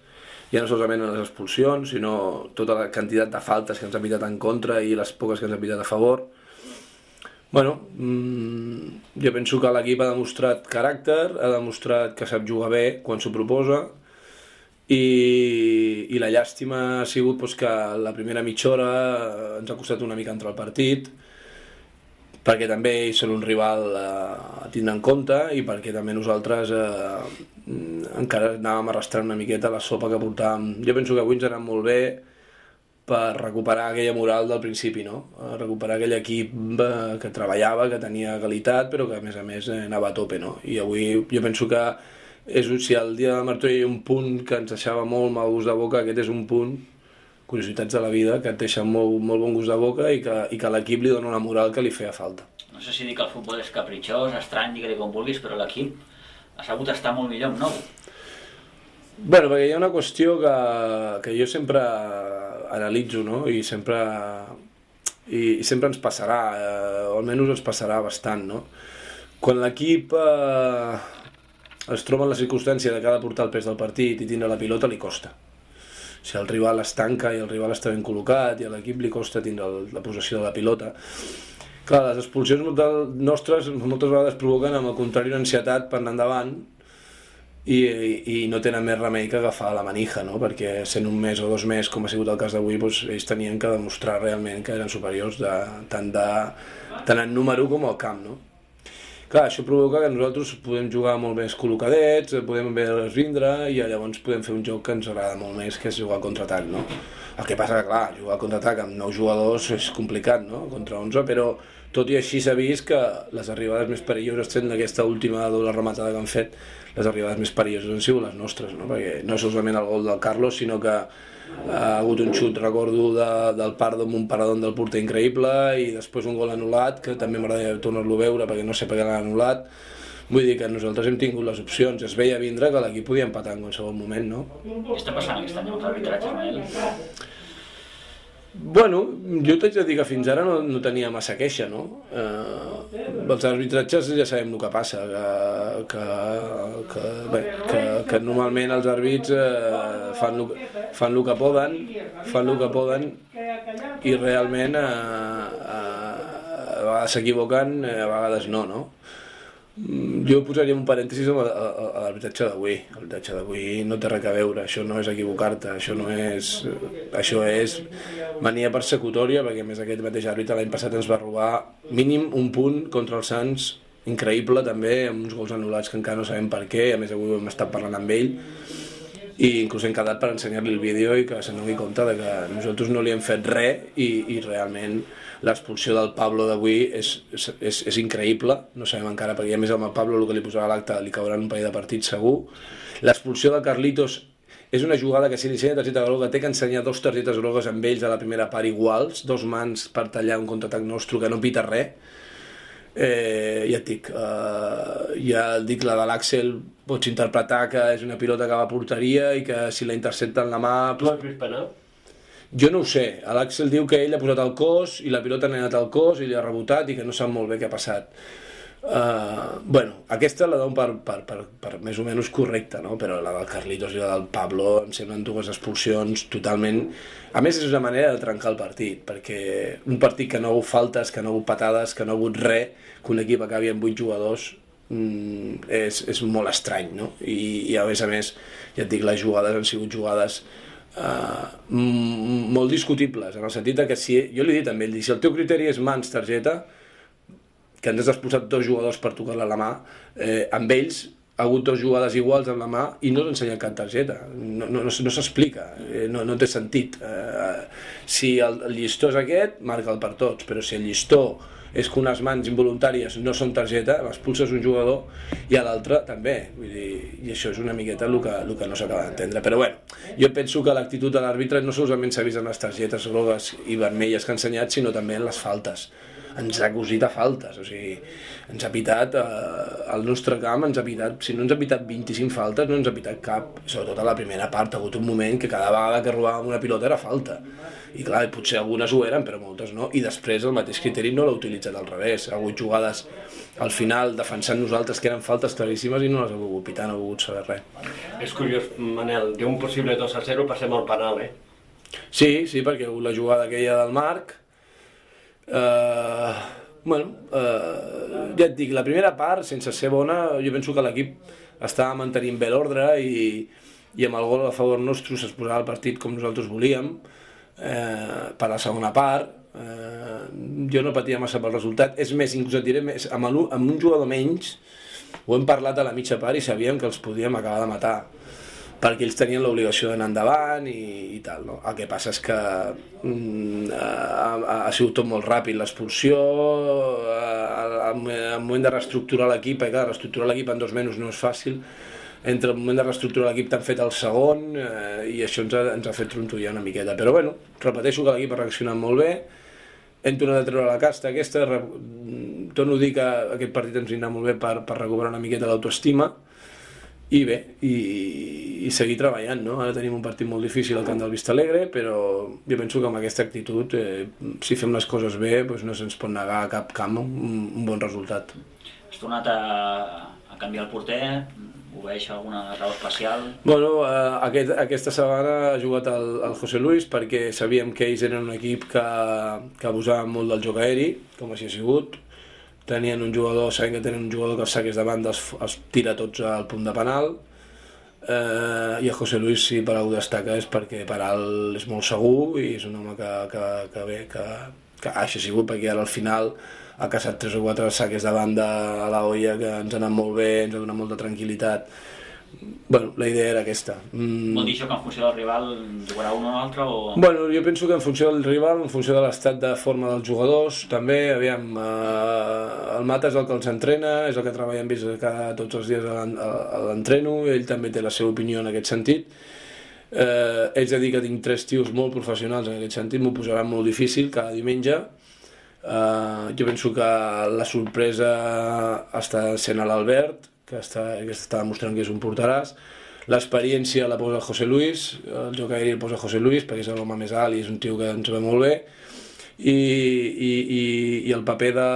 ja no solament les expulsions, sinó tota la quantitat de faltes que ens han pitat en contra i les poques que ens han pitat a favor. Bueno, mmm, jo penso que l'equip ha demostrat caràcter, ha demostrat que sap jugar bé quan s'ho proposa i, i la llàstima ha sigut pues, que la primera mitja hora ens ha costat una mica entrar al partit perquè també ells són un rival a, a tindre en compte i perquè també nosaltres eh, encara anàvem arrastrant una miqueta la sopa que portàvem. Jo penso que avui ens ha anat molt bé per recuperar aquella moral del principi, no? Recuperar aquell equip que treballava, que tenia qualitat, però que a més a més anava a tope, no? I avui jo penso que és, si el dia de Martorell hi ha un punt que ens deixava molt mal gust de boca, aquest és un punt, curiositats de la vida, que et deixa molt, molt bon gust de boca i que, i que l'equip li dona una moral que li feia falta. No sé si dir que el futbol és capritxós, estrany, digue-li com vulguis, però l'equip ha sabut estar molt millor amb nou. Bueno, perquè hi ha una qüestió que, que jo sempre analitzo, no? I sempre, i, i sempre ens passarà, eh, o almenys ens passarà bastant, no? Quan l'equip eh, es troba en la circumstància de que ha de portar el pes del partit i tindre la pilota, li costa. Si el rival es tanca i el rival està ben col·locat i a l'equip li costa tindre el, la possessió de la pilota. Clar, les expulsions nostres moltes vegades provoquen, amb el contrari, una ansietat per anar endavant i, i, i no tenen més remei que agafar la manija, no? Perquè sent un mes o dos mesos, com ha sigut el cas d'avui, doncs, ells tenien que demostrar realment que eren superiors de, tant, de, tant en número com al camp, no? Clar, això provoca que nosaltres podem jugar molt més col·locadets, podem haver-les vindre i llavors podem fer un joc que ens agrada molt més, que és jugar al contraatac, no? El que passa que, clar, jugar al contraatac amb nou jugadors és complicat, no? Contra onze, però tot i així s'ha vist que les arribades més perilloses, sent d'aquesta última doble rematada que han fet, les arribades més perilloses han sigut les nostres, no? Perquè no solament el gol del Carlos, sinó que ha hagut un xut, recordo, de, del Pardo amb un paradón del porter increïble i després un gol anul·lat, que també m'agradaria tornar-lo a veure perquè no sé per què l'han anul·lat. Vull dir que nosaltres hem tingut les opcions, es veia vindre que l'equip podia empatar en qualsevol moment, no? Què està passant aquest any amb l'arbitratge, Manel? Bueno, jo t'haig de dir que fins ara no, no tenia massa queixa, no? Eh, els arbitratges ja sabem el que passa, que, que, que, bé, que, que normalment els àrbits eh, fan, lo, fan el que poden, fan el que poden i realment eh, eh, a vegades s'equivoquen, a vegades no, no? Jo posaria un parèntesis a l'arbitratge d'avui. L'arbitratge d'avui no té res a veure, això no és equivocar-te, això no és... Això és mania persecutòria, perquè a més aquest mateix àrbitre l'any passat ens va robar mínim un punt contra els Sants, increïble també, amb uns gols anul·lats que encara no sabem per què, a més avui hem estat parlant amb ell, i inclús hem quedat per ensenyar-li el vídeo i que se n'adoni compte de que nosaltres no li hem fet res i, i realment l'expulsió del Pablo d'avui és, és, és, és increïble, no sabem encara, perquè a més amb el Pablo el que li posarà a l'acte li cauran un parell de partits segur. L'expulsió de Carlitos és una jugada que si li ensenya targeta groga té que ensenyar dos targetes grogues amb ells a la primera part iguals, dos mans per tallar un contraatac nostre que no pita res. Eh, ja et dic, eh, ja et dic, la de l'Àxel pots interpretar que és una pilota que va a porteria i que si la intercepta en la mà... Tu has vist penal? Jo no ho sé, l'Àxel diu que ell ha posat el cos i la pilota ha anat al cos i li ha rebotat i que no sap molt bé què ha passat. Uh, bueno, aquesta la dono per, per, per, per més o menys correcta, no? Però la del Carlitos i la del Pablo em semblen dues expulsions totalment... A més, és una manera de trencar el partit, perquè un partit que no ha hagut faltes, que no ha hagut patades, que no ha hagut res, que un equip acabi amb vuit jugadors, mm, és, és molt estrany, no? I, i a més a més, ja et dic, les jugades han sigut jugades Uh, molt discutibles, en el sentit que si, jo li he dit a ell, si el teu criteri és mans, targeta, que ens has expulsat dos jugadors per tocar-la a la mà, eh, amb ells ha hagut dos jugades iguals amb la mà i no s'ha ensenyat cap targeta, no, no, no, no s'explica, eh, no, no té sentit. Eh, si el, el llistó és aquest, marca'l per tots, però si el llistó és que unes mans involuntàries no són targeta, expulses un jugador i a l'altre també, vull dir, i això és una miqueta el que, el que no s'acaba d'entendre. Però bueno, jo penso que l'actitud de l'àrbitre no solament s'ha vist en les targetes grogues i vermelles que ha ensenyat, sinó també en les faltes. Ens ha cosit a faltes, o sigui, ens ha pitat eh, al nostre camp, ens ha pitat, si no ens ha pitat vint-i-cinc faltes, no ens ha pitat cap, sobretot a la primera part, ha hagut un moment que cada vegada que robàvem una pilota era falta, i clar, potser algunes ho eren, però moltes no, i després el mateix criteri no l'ha utilitzat al revés, ha hagut jugades al final defensant nosaltres que eren faltes claríssimes i no les ha volgut pitar, no ha volgut saber res. És curiós, Manel, d'un possible dos a zero passem al penal, eh? Sí, sí, perquè la jugada aquella del Marc, Uh, bueno, uh, ja et dic, la primera part, sense ser bona, jo penso que l'equip estava mantenint bé l'ordre i, i amb el gol a favor nostre es posava el partit com nosaltres volíem. Uh, per la segona part, uh, jo no patia massa pel resultat, és més, inclús et diré més, amb, el, amb un jugador menys ho hem parlat a la mitja part i sabíem que els podíem acabar de matar, perquè ells tenien l'obligació d'anar endavant i, i tal, no? El que passa és que mm, ha, ha sigut tot molt ràpid, l'expulsió, al moment de reestructurar l'equip, perquè clar, reestructurar l'equip en dos mesos no és fàcil, entre el moment de reestructurar l'equip t'han fet el segon eh, i això ens ha, ens ha fet trontollar una miqueta, però bueno, repeteixo que l'equip ha reaccionat molt bé, hem tornat a treure la casta aquesta, re... torno a dir que aquest partit ens vindrà molt bé per, per recuperar una miqueta l'autoestima, i bé, i, i seguir treballant, no? Ara tenim un partit molt difícil al camp del Vistalegre, però jo penso que amb aquesta actitud, eh, si fem les coses bé, doncs no se'ns pot negar a cap camp un, un bon resultat. Has tornat a, a canviar el porter? Ho veig alguna raó especial? Bueno, eh, aquest, aquesta setmana ha jugat el, el José Luis perquè sabíem que ells eren un equip que, que abusaven molt del joc aeri, com així ha sigut. Tenien un jugador, sabem que tenen un jugador que els saques de banda els, els tira tots al punt de penal, eh, i el José Luis, si per algú destaca, és perquè Peral és molt segur i és un home que, que, que bé, que, que ha sigut, perquè ara al final ha caçat tres o quatre saques de banda a la olla que ens han anat molt bé, ens ha donat molta tranquil·litat. Bueno, la idea era aquesta. Mm. Vol dir això que en funció del rival jugarà un o l'altre? O... Bueno, jo penso que en funció del rival, en funció de l'estat de forma dels jugadors, també, aviam, eh, el Mata és el que els entrena, és el que treballa amb ells cada, tots els dies a l'entreno, ell també té la seva opinió en aquest sentit. Eh, ells han dit que tinc tres tios molt professionals en aquest sentit, m'ho posaran molt difícil cada diumenge. Eh, jo penso que la sorpresa està sent a l'Albert, que està, que està demostrant que és un porteràs. L'experiència la posa José Luis, el joc aeri el posa José Luis, perquè és l'home més alt i és un tio que ens ve molt bé. I, i, i, i el paper de,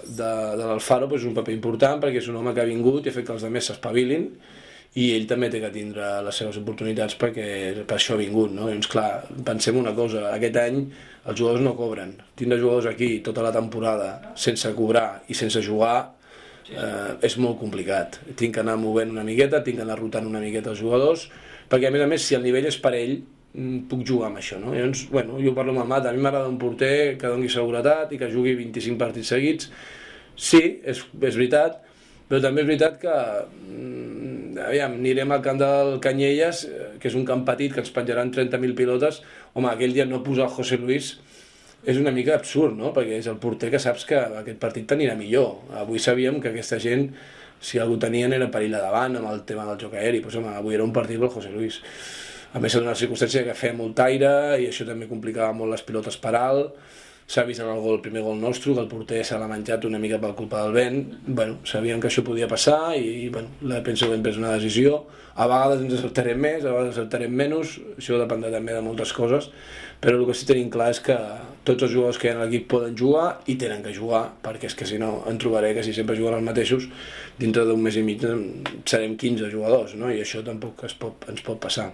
de, de l'Alfaro pues, és un paper important, perquè és un home que ha vingut i ha fet que els altres s'espavilin, i ell també té que tindre les seves oportunitats perquè per això ha vingut, no? Llavors, clar, pensem una cosa, aquest any els jugadors no cobren. Tindre jugadors aquí tota la temporada sense cobrar i sense jugar, Uh, és molt complicat. Tinc que anar movent una miqueta, tinc que anar rotant una miqueta els jugadors, perquè a més a més si el nivell és parell puc jugar amb això, no? Llavors, bueno, jo parlo amb el Mat, a mi m'agrada un porter que doni seguretat i que jugui vint-i-cinc partits seguits. Sí, és, és veritat, però també és veritat que mm, aviam, anirem al camp del Canyelles, que és un camp petit que ens penjaran trenta mil pilotes. Home, aquell dia no posar el José Luis és una mica absurd, no? Perquè és el porter que saps que aquest partit t'anirà millor. Avui sabíem que aquesta gent, si algú tenien, era perill a davant amb el tema del joc aeri. Pues, home, avui era un partit pel José Luis. A més, en una circumstància que feia molt aire i això també complicava molt les pilotes per alt. S'ha vist en el gol, el primer gol nostre, que el porter se l'ha menjat una mica per culpa del vent. Bueno, sabíem que això podia passar i bueno, penso que hem pres una decisió. A vegades ens acertarem més, a vegades acertarem menys, això dependrà també de moltes coses, però el que sí tenim clar és que tots els jugadors que hi ha a l'equip poden jugar i tenen que jugar, perquè és que si no em trobaré que si sempre juguen els mateixos, dintre d'un mes i mig serem quinze jugadors, no? I això tampoc es pot, ens pot passar.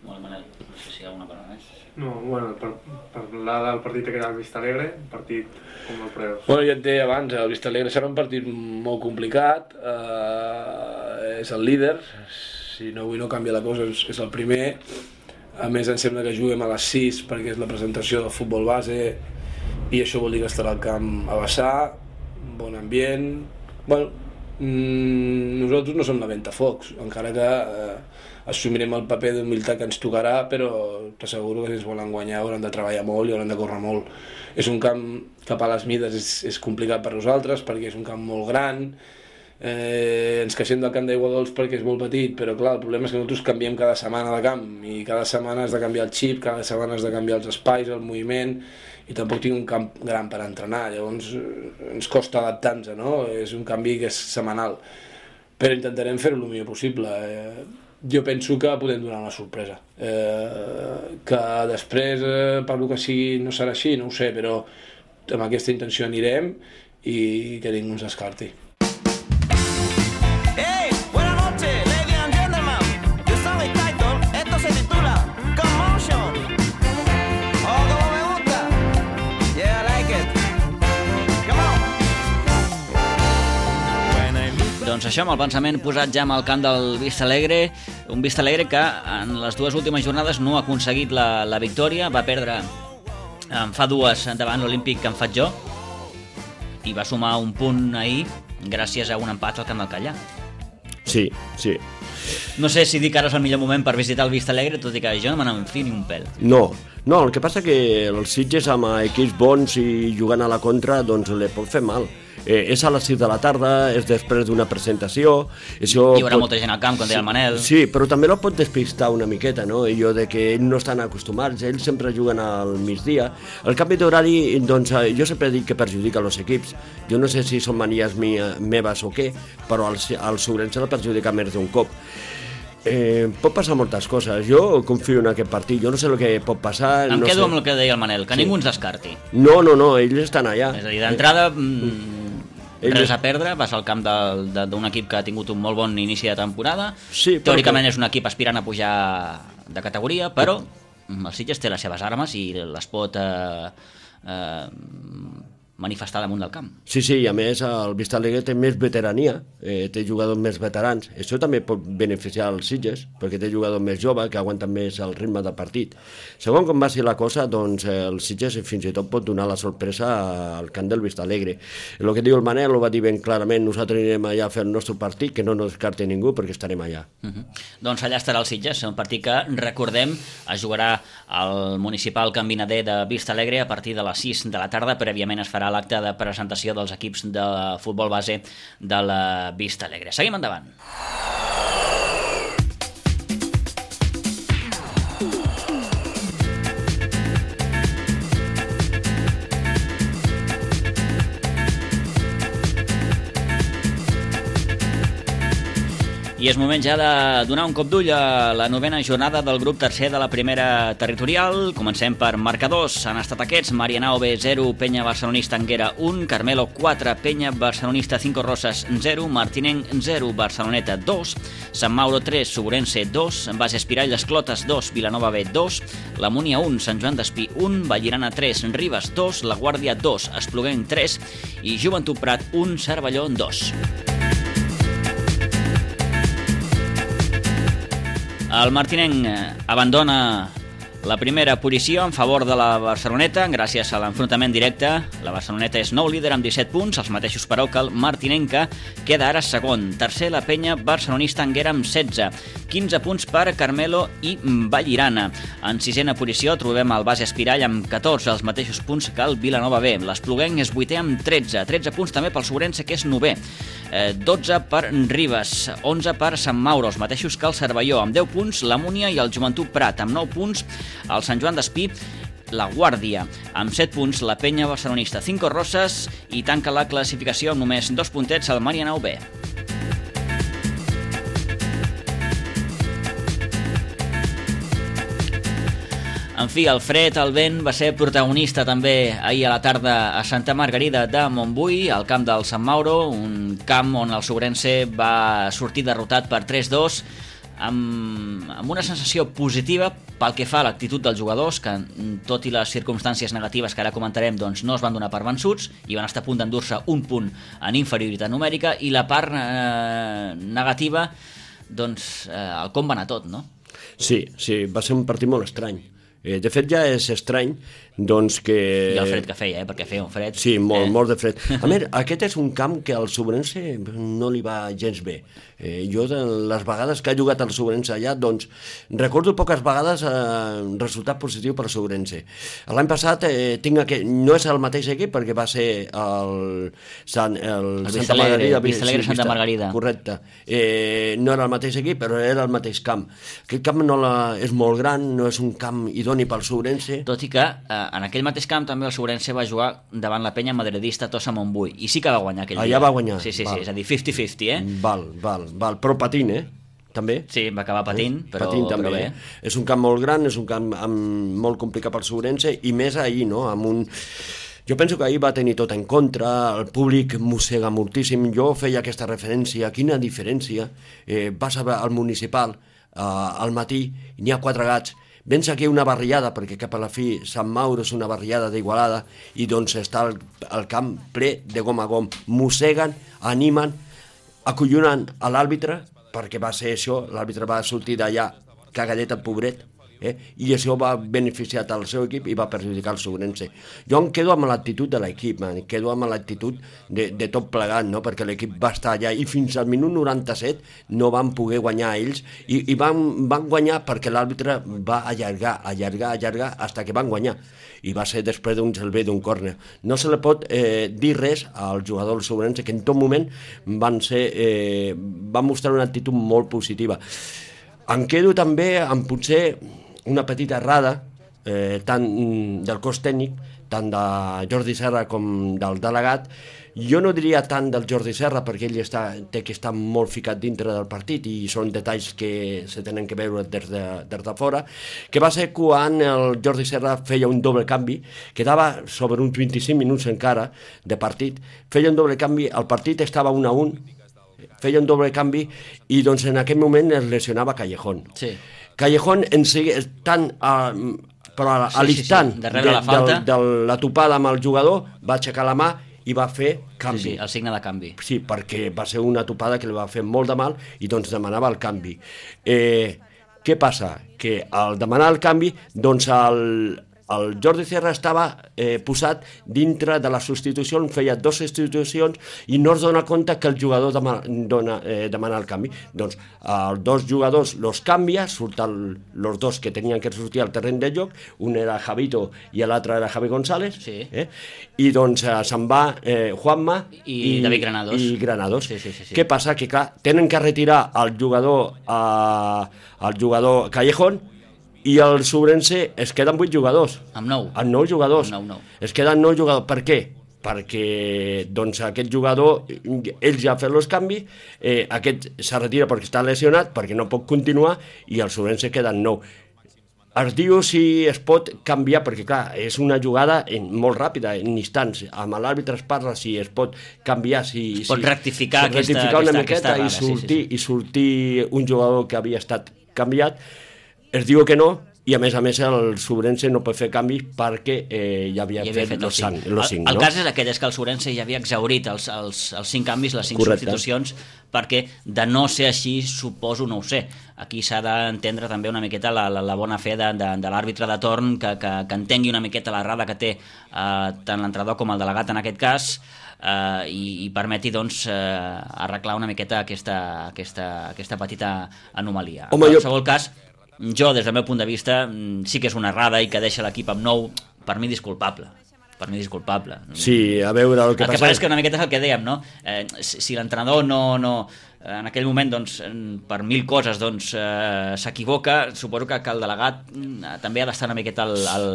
Molt Manel, no sé si hi ha alguna cosa més. No, bueno, per parlar del partit que era el Vistalegre, un partit com el preus. Bueno, ja et deia abans, el Vistalegre serà un partit molt complicat, eh, és el líder, si no avui no canvia la cosa, és, és el primer. A més, em sembla que juguem a les sis perquè és la presentació del futbol base i això vol dir que estarà al camp a vessar, bon ambient. Bueno, mmm, nosaltres no som la ventafocs, encara que eh, assumirem el paper d'humilitat que ens tocarà, però t'asseguro que si ens volen guanyar hauran de treballar molt i hauran de córrer molt. És un camp cap a les mides, és, és complicat per nosaltres perquè és un camp molt gran. Eh, ens queixem del camp d'Aigua Dols perquè és molt petit, però clar, el problema és que nosaltres canviem cada setmana de camp i cada setmana has de canviar el xip, cada setmana has de canviar els espais, el moviment, i tampoc tinc un camp gran per entrenar, llavors ens costa adaptar-nos, no? És un canvi que és setmanal, però intentarem fer-ho el millor possible. Eh, jo penso que podem donar una sorpresa, eh, que després eh, per lo que sigui no serà així, no ho sé, però amb aquesta intenció anirem i que ningú ens descarti. Doncs això, amb el pensament posat ja amb el camp del Vistalegre, un Vistalegre que en les dues últimes jornades no ha aconseguit la, la victòria, va perdre en fa dues davant l'Olímpic que en faig jo i va sumar un punt ahir gràcies a un empat al camp del Callà. Sí, sí. No sé si dir que ara és el millor moment per visitar el Vistalegre, tot i que jo no me n'enfio ni un pèl. No, no, el que passa que els Sitges amb equips bons i jugant a la contra doncs li pot fer mal. Eh, és a les sis de la tarda, és després d'una presentació... Això hi haurà pot... molta gent al camp, com deia el Manel. Sí, però també el pot despistar una miqueta, no? Allò de que ells no estan acostumats, ells sempre juguen al migdia. El canvi d'horari, doncs, jo sempre dic que perjudica els equips. Jo no sé si són manies mia, meves o què, però al, al Sobrense el perjudica més d'un cop. Eh, pot passar moltes coses. Jo confio en aquest partit. Jo no sé el que pot passar. Em no quedo sé. amb el que deia el Manel, que Sí. ningú ens descarti. No, no, no, ells estan allà. És a dir, d'entrada, mm, Ells- res a perdre, vas al camp del- de- d'un equip que ha tingut un molt bon inici de temporada. Sí, però Teòricament que- és un equip aspirant a pujar de categoria, però el Sitges té les seves armes i les pot eh, eh, manifestar damunt del camp. Sí, sí, i a més el Vista Alegre té més veterania, eh, té jugadors més veterans. Això també pot beneficiar els Sitges, perquè té jugadors més joves que aguanten més el ritme del partit. Segons com va ser la cosa, doncs eh, el Sitges fins i tot pot donar la sorpresa al camp del Vista Alegre. El que diu el Manel ho va dir ben clarament, nosaltres anirem allà a fer el nostre partit, que no ens descarti ningú perquè estarem allà. Uh -huh. Doncs allà estarà el Sitges, un partit que, recordem, es jugarà al municipal Can Vinader de Vista Alegre a partir de les sis de la tarda. Prèviament es farà l'acte de presentació dels equips de futbol base de la Vista Alegre. Seguim endavant. I és moment ja de donar un cop d'ull a la novena jornada del grup tercer de la primera territorial. Comencem per marcadors. Han estat aquests: Marianao B zero, Penya Barcelonista Anguera un, Carmelo quatre, Penya Barcelonista Cinco Roses zero, Martinenc zero, Barceloneta dos, Sant Mauro tres, Sobrense dos, Base Espirall Esclotes dos, Vilanova B dos, La Múnia un, Sant Joan d'Espí un, Vallirana tres, Ribes dos, La Guàrdia dos, Espluguenc tres i Joventut Prat un, Cervelló dos. El Martinenc abandona la primera posició en favor de la Barceloneta gràcies a l'enfrontament directe. La Barceloneta és nou líder amb disset punts, els mateixos però que el Martinenca queda ara segon. Tercer, la Penya Barcelonista Anguera amb setze, quinze punts per Carmelo i Vallirana. En sisena posició trobem el Base Espirall amb catorze, els mateixos punts que el Vilanova B. L'Espluguenc és vuitè amb tretze, tretze punts també pel Sobrense, que és novè. dotze per Ribes, onze per Sant Mauro, els mateixos que el Cervelló, amb deu punts, la Múnia i el Joventut Prat, amb nou punts, el Sant Joan d'Espí, la Guàrdia, amb set punts, la Penya Barcelonista Cinco Roses, i tanca la classificació amb només dos puntets al Marianao B. En fi, el fred, el vent, va ser protagonista també ahir a la tarda a Santa Margarida de Montbui, al camp del Sant Mauro, un camp on el Sobrense va sortir derrotat per tres dos, amb, amb una sensació positiva pel que fa a l'actitud dels jugadors, que tot i les circumstàncies negatives que ara comentarem, doncs no es van donar per vençuts i van estar a punt d'endur-se un punt en inferioritat numèrica, i la part eh, negativa, doncs eh, el com va anar tot, no? Sí, sí, va ser un partit molt estrany. Eh, de fet, ja és estrany, doncs que... I el fred que feia, eh? Perquè feia un fred... Sí, molt, eh? molt de fred. A més, aquest és un camp que al Sobrense no li va gens bé. Eh, jo, de les vegades que ha jugat el Sobrense allà, doncs, recordo poques vegades eh, resultat positiu per al Sobrense. L'any passat eh, tinc aquest... no és el mateix equip, perquè va ser el, Sant, el, el Santa Margarida. Vista Alegre, sí, Santa Margarida. Correcte. Eh, no era el mateix equip, però era el mateix camp. Aquest camp no la, és molt gran, no és un camp idoni pel Sobrense. Tot i que eh, en aquell mateix camp també el Sobrense va jugar davant la Penya Madridista Tossa Montbui, i sí que va guanyar aquell Allà dia. va guanyar. Sí, sí, val. sí, és a dir, cinquanta cinquanta, eh? Val, val, val. Però patint, eh? També. Sí, va acabar patint, però, patint també, però bé. eh? És un camp molt gran, és un camp amb, molt complicat pel Sobrense, i més ahir, no? Amb un... Jo penso que ahir va tenir tot en contra, el públic mossega moltíssim. Jo feia aquesta referència, quina diferència. Eh, vas al municipal eh, al matí, n'hi ha quatre gats, vens aquí una barriada, perquè cap a la fi Sant Mauro és una barriada d'Igualada, i doncs està el, el camp ple de gom a gom. Mosseguen, animen, acollonen a l'àrbitre, perquè va ser això, l'àrbitre va sortir d'allà cagadet el pobret, eh? I això va beneficiar el seu equip i va perjudicar el Sobrense. Jo em quedo amb l'actitud de l'equip, em quedo amb l'actitud de, de tot plegat, no? Perquè l'equip va estar allà i fins al minut noranta-set no van poder guanyar ells i, i van, van guanyar perquè l'àrbitre va allargar, allargar, allargar fins que van guanyar. I va ser després d'un gelbé d'un córner. No se li pot eh, dir res al jugador del Sobrense, que en tot moment van, ser, eh, van mostrar una actitud molt positiva. Em quedo també amb potser una petita errada, eh, tant del cos tècnic, tant de Jordi Serra com del delegat. Jo no diria tant del Jordi Serra perquè ell està, té que estar molt ficat dintre del partit i són detalls que se tenen que veure des de, des de fora, que va ser quan el Jordi Serra feia un doble canvi, quedava sobre uns vint-i-cinc minuts encara de partit, feia un doble canvi, el partit estava un a un, feia un doble canvi i doncs en aquell moment es lesionava Callejón. Sí. Callejón en segui, tant a, però a, a l'instant sí, sí, sí. de, de, la de, de la topada amb el jugador va aixecar la mà i va fer canvi. Sí, sí, el signe de canvi. Sí, perquè va ser una topada que li va fer molt de mal i doncs demanava el canvi. Eh, què passa? Que al demanar el canvi, doncs el, el Jordi Serra estava eh, posat dintre de la substitució, feia dues substitucions i no es dona compte que el jugador demana, dona, eh, demana el canvi. Doncs els dos jugadors los canvia, surten els dos que tenien que sortir al terreny de joc, un era Javito i l'altre era Javi González, sí. eh? I doncs eh, se'n va eh, Juanma i, i David Granados. I Granados. Sí, sí, sí, sí. Què passa? Que clar, tenen que retirar el jugador, eh, el jugador Callejón i el Sobrense es queden vuit jugadors. Amb nou. Amb nou jugadors. Amb nou, nou. Es queden nou jugadors. Per què? Perquè doncs, aquest jugador, ell ja ha fet els canvis, eh, aquest se retira perquè està lesionat, perquè no pot continuar, i el Sobrense queden nou. Es diu si es pot canviar, perquè clar, és una jugada en, molt ràpida, en instants. Amb l'àrbitre es parla si es pot canviar, si... Es pot si, rectificar, si aquesta, rectificar una aquesta, miqueta aquesta i, sortir, sí, sí, sí. i sortir un jugador que havia estat canviat. Es diu que no, i a més a més el Sobrense no pot fer canvis perquè eh, ja havia, ja havia fet, fet els cinc. El, cinc, el no? cas és aquell, és que el Sobrense ja havia exhaurit els, els, els cinc canvis, les cinc Correcte. substitucions, perquè de no ser així, suposo, no ho sé. Aquí s'ha d'entendre també una miqueta la, la, la bona fe de, de, de l'àrbitre de torn, que, que, que entengui una miqueta l'errada que té eh, tant l'entrenador com el delegat en aquest cas, eh, i, i permeti doncs, eh, arreglar una miqueta aquesta, aquesta, aquesta petita anomalia. Home, en jo... qualsevol cas, jo, des del meu punt de vista, sí que és una errada i que deixa l'equip amb nou, per mi disculpable. Per mi disculpable. Sí, a veure el que el passa... El que passa és que una miqueta és el que dèiem, no? Eh, si si l'entrenador no, no, en aquell moment, doncs, per mil coses, doncs, eh, s'equivoca, suposo que, que el delegat eh, també ha d'estar una miqueta al, al,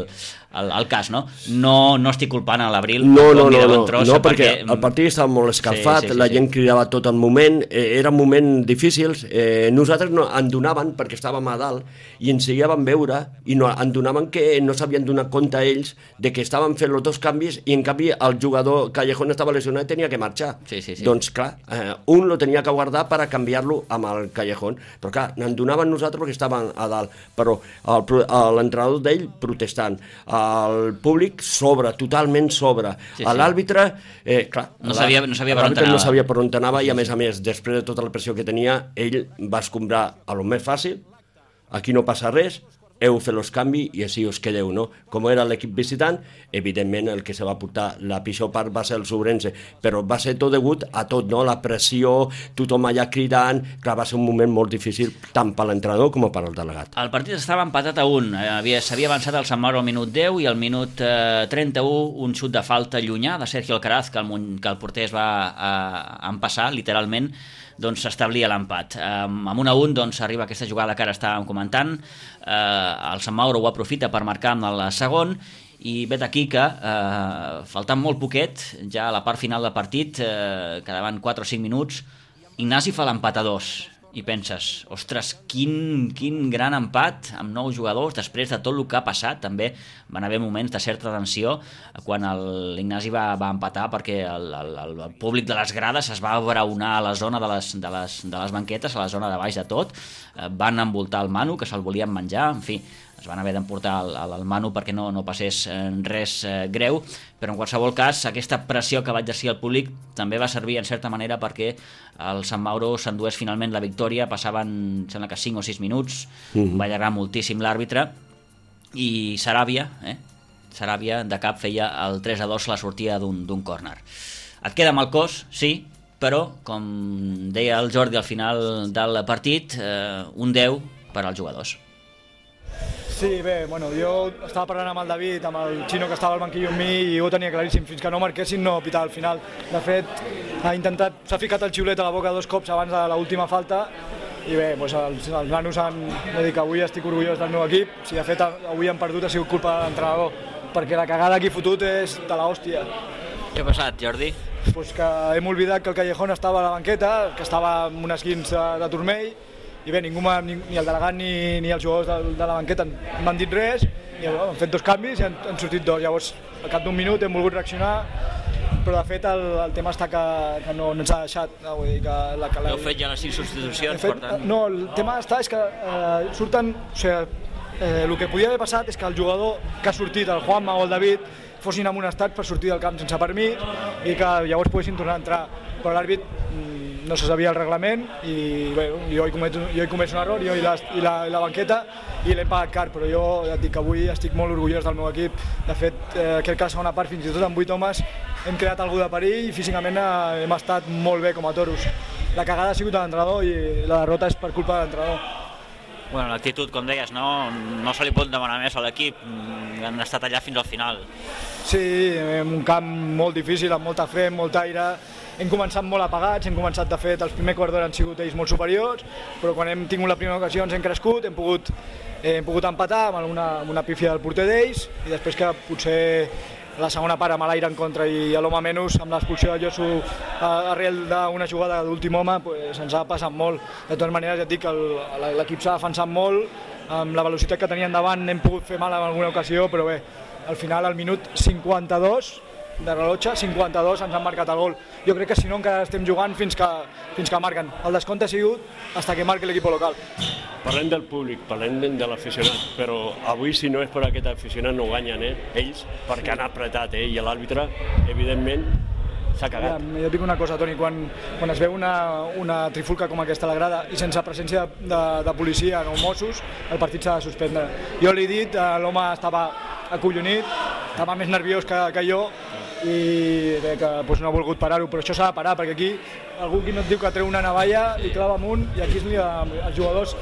al, al cas, no? No, no estic culpant a l'Abril. No, no, no, no, tros, no perquè, perquè el partit estava molt escalfat, sí, sí, sí, la gent sí. cridava tot el moment, eh, eren moments difícils, eh, nosaltres no, en donaven, perquè estàvem a dalt, i ens hi vam veure, i no, en donaven que no s'havien donat compte ells de que estaven fent els dos canvis, i en canvi el jugador Callejón estava lesionat i tenia que marxar. Sí, sí, sí. Doncs clar, eh, un lo tenia que guardar per a canviar-lo amb el Callejón, però clar, en donaven nosaltres perquè estaven a dalt, però l'entrenador d'ell protestant, el públic sobre, totalment sobre, sí, sí. l'àrbitre, eh, clar, no sabia, no sabia per on anava. No sabia per on anava i a més a més, després de tota la pressió que tenia, ell va escombrar a lo més fàcil, aquí no passa res, heu fet els canvis i així us quedeu, no? Com era l'equip visitant, evidentment el que se va portar la pitjor part va ser el Sobrense, però va ser tot degut a tot, no? La pressió, tothom allà cridant, clar, va ser un moment molt difícil tant per l'entrenador com per al delegat. El partit estava empatat a un, s'havia avançat al Sant Mauro al minut deu i al minut eh, trenta-u un xut de falta llunyà de Sergio Alcaraz, que el, que el porter es va eh, empassar, literalment, doncs s'establia l'empat. Um, amb un a un doncs, arriba aquesta jugada que ara estàvem comentant, uh, el Sant Mauro ho aprofita per marcar amb el segon, i vet aquí que, uh, faltant molt poquet, ja a la part final del partit, uh, quedaven quatre o cinc minuts, Ignasi fa l'empat a dos, i penses, ostres, quin, quin gran empat amb nou jugadors, després de tot el que ha passat. També van haver moments de certa tensió quan l'Ignasi va, va empatar, perquè el, el, el públic de les grades es va abraonar a la zona de les, de, les, de les banquetes, a la zona de baix de tot, van envoltar el Manu, que se'l volien menjar, en fi, es van haver d'emportar al, al Manu perquè no, no passés res eh, greu, però en qualsevol cas aquesta pressió que va exercir el públic també va servir en certa manera perquè el Sant Mauro s'endués finalment la victòria, passaven sembla que cinc o sis minuts, mm-hmm. va allargar moltíssim l'àrbitre i Saràbia, eh? Saràbia de cap feia el tres a dos la sortida d'un córner. Et queda amb el cos, sí, però com deia el Jordi al final del partit, eh, un deu per als jugadors. Sí, bé, bueno, jo estava parlant amb el David, amb el Xino que estava al banquillo amb mi i ho tenia claríssim, fins que no marquessin no pitava al final. De fet, ha intentat, s'ha ficat el xiulet a la boca dos cops abans de l'última falta i bé, doncs els, els nanos han de dir que avui estic orgullós del meu equip, si de fet avui han perdut ha sigut culpa de l'entrenador, perquè la cagada que he fotut és de l'hòstia. Què ha passat, Jordi? Pues que hem oblidat que el Callejón estava a la banqueta, que estava amb un esquins de, de turmell, i bé, ningú ni, ni el delegat ni, ni els jugadors de, de la banqueta m'han dit res, i bueno, hem fet dos canvis i han, han sortit dos. Llavors, al cap d'un minut hem volgut reaccionar, però de fet el, el tema està que, que no, no ens ha deixat. No? Vull dir que la, que la... Heu fet ja les cinc substitucions, fet, per tant... No, el tema està és que eh, surten... O sigui, eh, el que podia haver passat és que el jugador que ha sortit, el Juanma o el David, fossin en un estat per sortir del camp sense permís i que llavors poguessin tornar a entrar. Però l'àrbit no se sabia el reglament i bé, jo he comès, jo he comès un error, jo i la, i la, i la banqueta, i l'he pagat car, però jo ja et dic que avui estic molt orgullós del meu equip. De fet, eh, crec que la segona part, fins i tot amb vuit homes, hem creat algú de perill i físicament eh, hem estat molt bé com a toros. La cagada ha sigut de l'entrenador i la derrota és per culpa de l'entrenador. Bueno, l'actitud, com deies, no, no se li pot demanar més a l'equip, han estat allà fins al final. Sí, en un camp molt difícil, amb molta fe, amb molt aire. Hem començat molt apagats, hem començat, de fet, els primers quarts d'hora han sigut ells molt superiors, però quan hem tingut la primera ocasió ens hem crescut, hem pogut, eh, hem pogut empatar amb una, amb una pífia del porter d'ells, i després que potser la segona part amb l'aire en contra i a l'home menys, amb l'expulsió de Josu arrel d'una jugada d'últim home, pues, ens ha passat molt. De totes maneres, ja et dic que l'equip s'ha defensat molt, amb la velocitat que tenien davant hem pogut fer mal en alguna ocasió, però bé, al final, al minut cinquanta-dos, de rellotge, cinquanta-dos, ens han marcat el gol. Jo crec que si no encara estem jugant fins que, fins que marquen. El descompte ha sigut fins que marqui l'equip local. Parlem del públic, parlem de l'aficionat, però avui si no és per aquest aficionat no guanyen, eh? Ells, perquè han apretat, eh? I l'àrbitre, evidentment, s'ha cagat. Ja, jo dic una cosa, Toni, quan, quan es veu una, una trifulca com aquesta a la grada i sense presència de, de, de policia o Mossos, el partit s'ha de suspendre. Jo li he dit, l'home estava acollonit, estava més nerviós que, que jo, i bé, que doncs, no ha volgut parar-ho, però això s'ha de parar, perquè aquí algú que no et diu que treu una navalla i clava amunt, i aquí els jugadors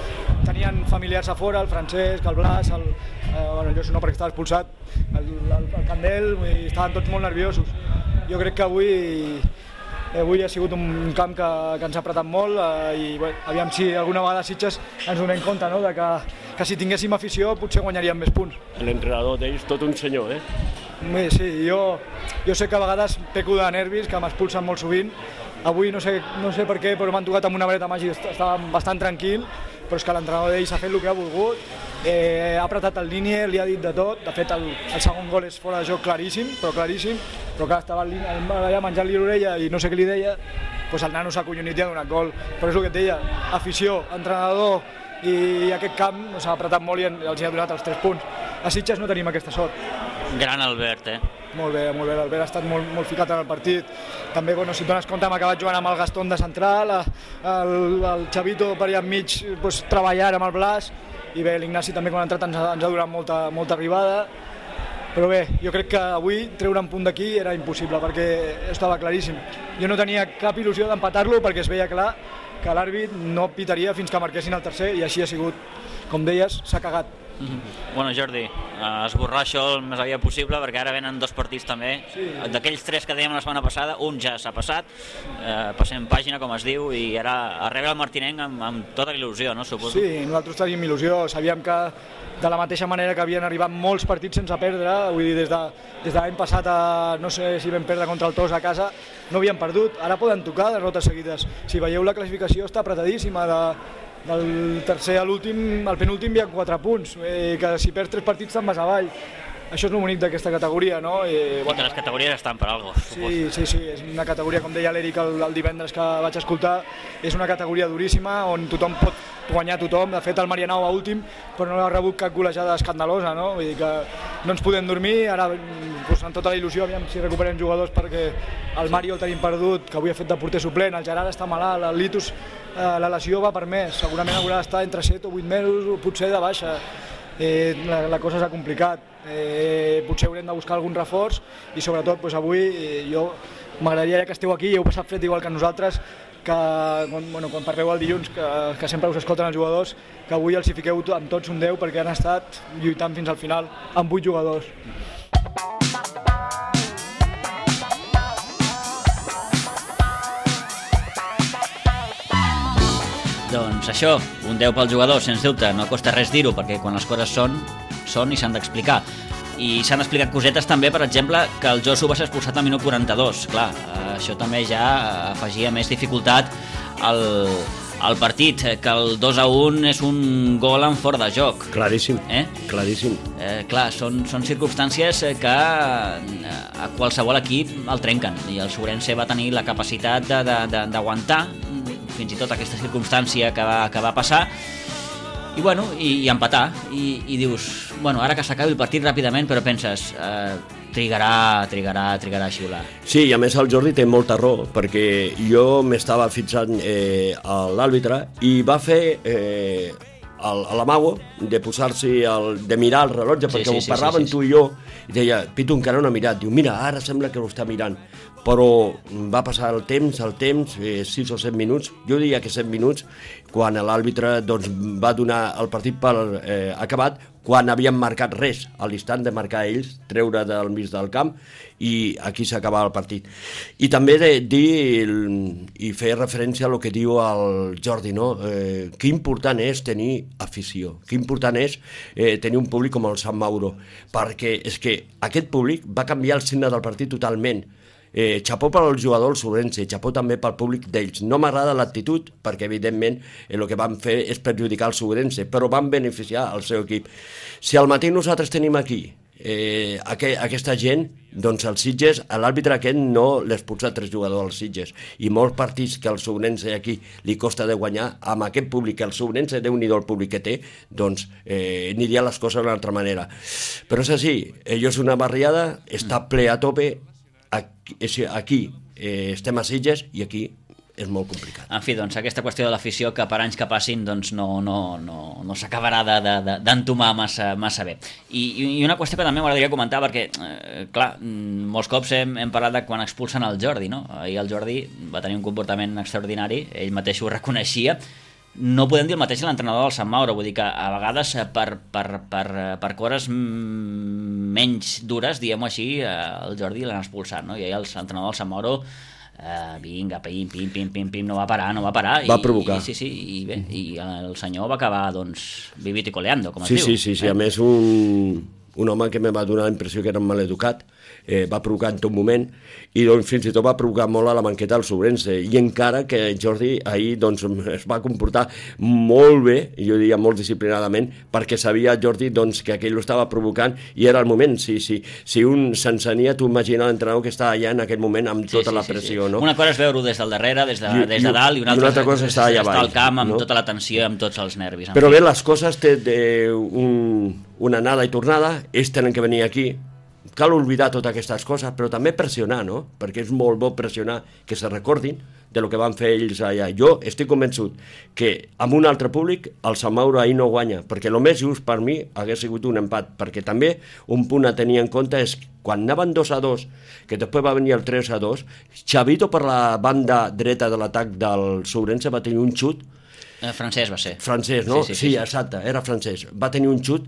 tenien familiars a fora, el Francesc, el Blas, el, eh, bueno, el Josu no perquè estava expulsat, el, el, el Candel, i estaven tots molt nerviosos. Jo crec que avui, avui ha sigut un camp que, que ens ha apretat molt, eh, i bé, aviam si alguna vegada a Sitges ens donem compte, no?, de que, que si tinguéssim afició potser guanyaríem més punts. L'entrenador d'ells, tot un senyor, eh? Bé, sí, jo, jo sé que a vegades peco de nervis, que m'expulsen molt sovint. Avui no sé, no sé per què, però m'han tocat amb una vareta màgica, estava bastant tranquil, però és que l'entrenador d'ells ha fet el que ha volgut, eh, ha apretat el línia, li ha dit de tot. De fet, el, el segon gol és fora de joc claríssim, però claríssim, però que estava allà menjant-li l'orella i no sé què li deia, doncs el nano s'ha acollonit i ha donat gol. Però és el que et deia, afició, entrenador i aquest camp s'ha apretat molt i els ha donat els tres punts. A Sitges no tenim aquesta sort. Gran Albert, eh? Molt bé, molt bé, l'Albert ha estat molt, molt ficat en el partit. També, bueno, si et dones compte, hem acabat jugant amb el Gaston de central, el, el Xavito per allà enmig pues, treballant amb el Blas, i bé, l'Ignasi també quan ha entrat ens ha, ens ha donat molta, molta arribada. Però bé, jo crec que avui treure un punt d'aquí era impossible, perquè estava claríssim. Jo no tenia cap il·lusió d'empatar-lo perquè es veia clar que l'àrbit no pitaria fins que marquessin el tercer, i així ha sigut. Com deies, s'ha cagat. Mm-hmm. Bueno, Jordi, esborrar això el més aviat possible, perquè ara venen dos partits també. Sí. D'aquells tres que dèiem la setmana passada, un ja s'ha passat, eh, passem pàgina, com es diu, i ara a rebre el Martinenc amb, amb tota il·lusió, no, suposo? Sí, nosaltres tenim il·lusió, sabíem que de la mateixa manera que havien arribat molts partits sense perdre, vull dir, des de, des de l'any passat a, no sé si vam perdre contra el Tos a casa, no havien perdut, ara poden tocar derrotes seguides. Si veieu la classificació està apretadíssima, de, del tercer a l'últim, al penúltim hi ha quatre punts, eh, que si perds tres partits te'n vas avall. això és el bonic d'aquesta categoria, no? I, bueno, I que les categories estan per alguna cosa. Sí, sí, sí, és una categoria, com deia l'Eric el, el divendres que vaig escoltar, és una categoria duríssima on tothom pot guanyar tothom. De fet, el Marianao va últim, però no ha rebut cap golejada escandalosa, no? Vull dir que no ens podem dormir, ara doncs, amb tota la il·lusió, aviam si recuperem jugadors, perquè el Mario el tenim perdut, que avui ha fet de porter suplent, el Gerard està malalt, el Litus, eh, la lesió va per més, segurament haurà d'estar entre set o vuit mesos, potser de baixa. Eh, la, la cosa s'ha complicat, eh, potser haurem de buscar algun reforç i sobretot doncs, avui eh, jo m'agradaria que esteu aquí i heu passat fred igual que nosaltres, que quan, bueno, quan parleu el dilluns, que, que sempre us escolten els jugadors, que avui els hi fiqueu amb tots un deu perquè han estat lluitant fins al final amb vuit jugadors. Doncs això, un deu pel jugador, sens dubte, no costa res dir-ho, perquè quan les coses són, són i s'han d'explicar. I s'han explicat cosetes també, per exemple, que el Josu va ser expulsat al minut quaranta-dos. Clar, això també ja afegia més dificultat al, al partit, que el dos a un és un gol en fora de joc. Claríssim, eh? claríssim. Eh, clar, són, són circumstàncies que a qualsevol equip el trenquen, i el Sobrense va tenir la capacitat de, de, de, d'aguantar fins i tot aquesta circumstància que va, que va passar i, bueno, i, i empatar i, i dius, bueno, ara que s'acabi el partit ràpidament, però penses eh, trigarà, trigarà, trigarà a xiular. Sí, i a més el Jordi té molta raó, perquè jo m'estava fixant eh, a l'àrbitre i va fer eh, l'amago de posar-se, de mirar el rellotge, perquè sí, sí, ho parlaven sí, sí, sí. tu i jo, i deia, Pitu encara no ha mirat, diu, mira, ara sembla que ho està mirant, però va passar el temps, el temps, eh, sis o set minuts, jo diria que set minuts, quan l'àrbitre doncs, va donar el partit per eh, acabat, quan havien marcat res, a l'instant de marcar ells, treure del mig del camp, i aquí s'acabava el partit. I també de dir i fer referència a lo que diu el Jordi, no? Eh, que important és tenir afició, que important és eh, tenir un públic com el Sant Mauro, perquè és que aquest públic va canviar el signe del partit totalment. Eh, xapó per al jugador el Sobrense, xapó també pel públic d'ells. No m'agrada l'actitud, perquè evidentment eh, el que van fer és perjudicar el Sobrense, però van beneficiar el seu equip. Si al matí nosaltres tenim aquí eh, aqu aquesta gent, doncs els Sitges, l'àrbitre aquest no l'expulsa tres jugadors als Sitges, i molts partits que el Sobrense aquí li costa de guanyar, amb aquest públic, el Sobrense, Déu-n'hi-do el públic que té, doncs eh, aniria les coses d'una altra manera. Però és així, allò és una barriada, està ple a tope. Aquí, aquí eh, estem a Sitges i aquí és molt complicat. En fi, doncs aquesta qüestió de l'afició, que per anys que passin doncs no, no, no, no s'acabarà d'entomar de, de, massa, massa bé. I, I una qüestió que també m'agradaria comentar, perquè, eh, clar, molts cops hem, hem parlat de quan expulsen el Jordi, no? Ahir el Jordi va tenir un comportament extraordinari, ell mateix ho reconeixia. No podem dir el mateix a l'entrenador del Sant Mauro, vull dir que a vegades per, per, per, per coses menys dures, diguem-ho així, el Jordi l'han expulsat, no? I l'entrenador del Sant Mauro, eh, vinga, pim, pim, pim, pim, pim, no va parar, no va parar. Va i, provocar. I, sí, sí, i bé, i el senyor va acabar, doncs, vivit i coleando, com es sí, diu. Sí, sí, sí, eh? A més un, un home que me va donar la impressió que era maleducat, eh, va provocar en tot moment, i doncs fins i tot va provocar molt a la banqueta del Sobrense, i encara que Jordi ahir doncs, es va comportar molt bé, jo diria molt disciplinadament, perquè sabia Jordi doncs, que aquell ho estava provocant i era el moment. Si, si, si un s'encenia, tu imagina l'entrenador que està allà en aquell moment amb tota sí, sí, la pressió. Sí, sí. No? Una cosa és veure-ho des del darrere, des de, I, des de dalt, i una altra, una altra cosa és estar allà estar baix, al camp amb no? tota la tensió, amb tots els nervis. Però bé, les coses té un, una anada i tornada, ells tenen que venir aquí, cal oblidar totes aquestes coses, però també pressionar, no? Perquè és molt bo pressionar, que se recordin de lo que van fer ells allà. Jo estic convençut que amb un altre públic el Sant Mauro ahir no guanya, perquè el més just per mi hagués sigut un empat, perquè també un punt a tenir en compte és quan anaven dos a dos, que després va venir el tres a dos, Xavito per la banda dreta de l'atac del Sobrense va tenir un xut. Eh, francès va ser. Francès, no? Sí, sí, sí, sí, sí. Exacte, era francès. Va tenir un xut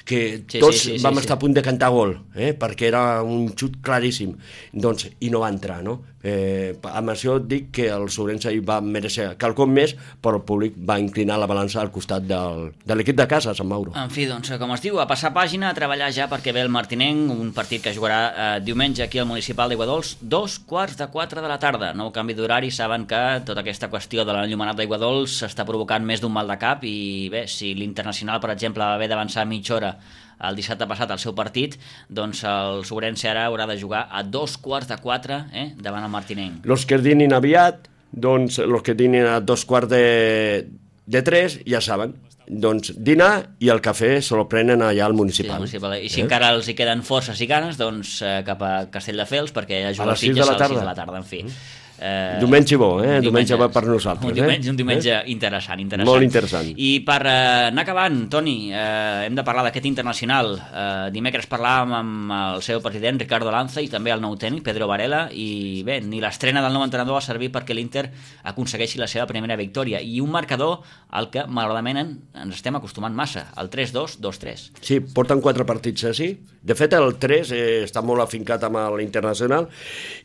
que sí, tots sí, sí, vam sí, estar sí. a punt de cantar gol, eh? Perquè era un xut claríssim. Doncs, i no va entrar, no? Eh, amb això dic que el Sobrense va mereixer quelcom més, però el públic va inclinar la balança al costat del, de l'equip de casa, Sant Mauro. En fi, doncs, com es diu, a passar pàgina, a treballar ja perquè ve el Martinenc, un partit que jugarà eh, diumenge aquí al Municipal d'Aiguadols, dos quarts de quatre de la tarda. Nou canvi d'horari, saben que tota aquesta qüestió de l'enllumenat d'Aiguadols s'està provocant més d'un mal de cap i bé, si l'Internacional, per exemple, va haver d'avançar mitja hora el dissabte passat el seu partit, doncs el Sobrense ara haurà de jugar a dos quarts de quatre eh, davant el Martinenc. Los que dinin aviat, doncs los que dinin a dos quarts de, de tres, ja saben, doncs dinar i el cafè se lo prenen allà al municipal. Sí, municipal. I si eh? encara els hi queden forces i ganes, doncs eh, cap a Castelldefels, perquè ja juga a les sis de la tarda. de la tarda, en fi. Mm. Eh, diumenge bo, eh? Diumenge, diumenge bo per nosaltres. Un diumenge, eh? un diumenge eh? interessant, interessant. Molt interessant. I per eh, anar acabant, Toni, eh, hem de parlar d'aquest internacional. Eh, dimecres parlàvem amb el seu president, Ricardo Lanza, i també el nou tècnic, Pedro Varela, i bé, ni l'estrena del nou entrenador va servir perquè l'Inter aconsegueixi la seva primera victòria. I un marcador al que, malauradament, ens estem acostumant massa, el tres dos dos tres. Sí, porten quatre partits així. De fet, el tres eh, està molt afincat amb l'Internacional,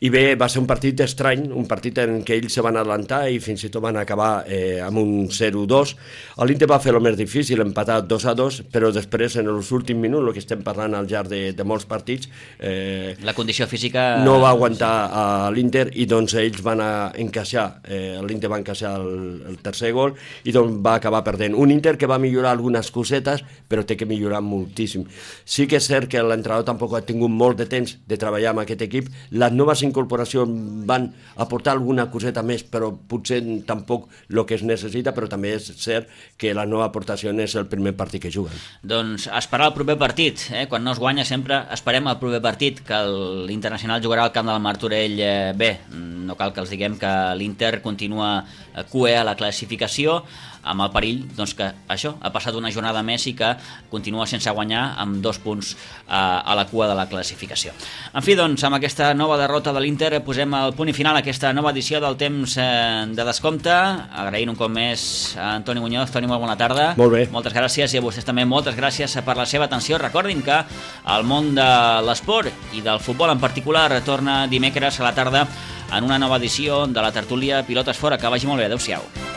i bé, va ser un partit estrany, un partit en què ells se van adelantar i fins i tot van acabar eh, amb un zero dos. L'Inter va fer el més difícil, empatar dos a dos, però després, en els últims minuts, el que estem parlant al llarg de, de molts partits, eh, la condició física no va aguantar a l'Inter, i doncs ells van a encaixar, eh, l'Inter va encaixar el, el tercer gol, i doncs va acabar perdent. Un Inter que va millorar algunes cosetes, però té que millorar moltíssim. Sí que és cert que l'entrenador tampoc ha tingut molt de temps de treballar amb aquest equip. Les noves incorporacions van aportar alguna coseta més, però potser tampoc el que es necessita, però també és cert que la nova aportació és el primer partit que juguen. Doncs esperar el proper partit, eh? Quan no es guanya sempre esperem el proper partit, que l'Internacional jugarà al camp del Martorell. Eh, bé, no cal que els diguem que l'Inter continua cué a la classificació, amb el perill doncs, que això ha passat una jornada més i que continua sense guanyar amb dos punts a, a la cua de la classificació. En fi, doncs, amb aquesta nova derrota de l'Inter posem el punt i final a aquesta nova edició del temps eh, de descompte, agraint un cop més a Antoni Muñoz. Toni, molt bona tarda. Molt bé. Moltes gràcies, i a vostès també moltes gràcies per la seva atenció. Recordin que el món de l'esport i del futbol en particular torna dimecres a la tarda en una nova edició de la tertúlia Pilotes Fora. Que vagi molt bé, adeu-siau.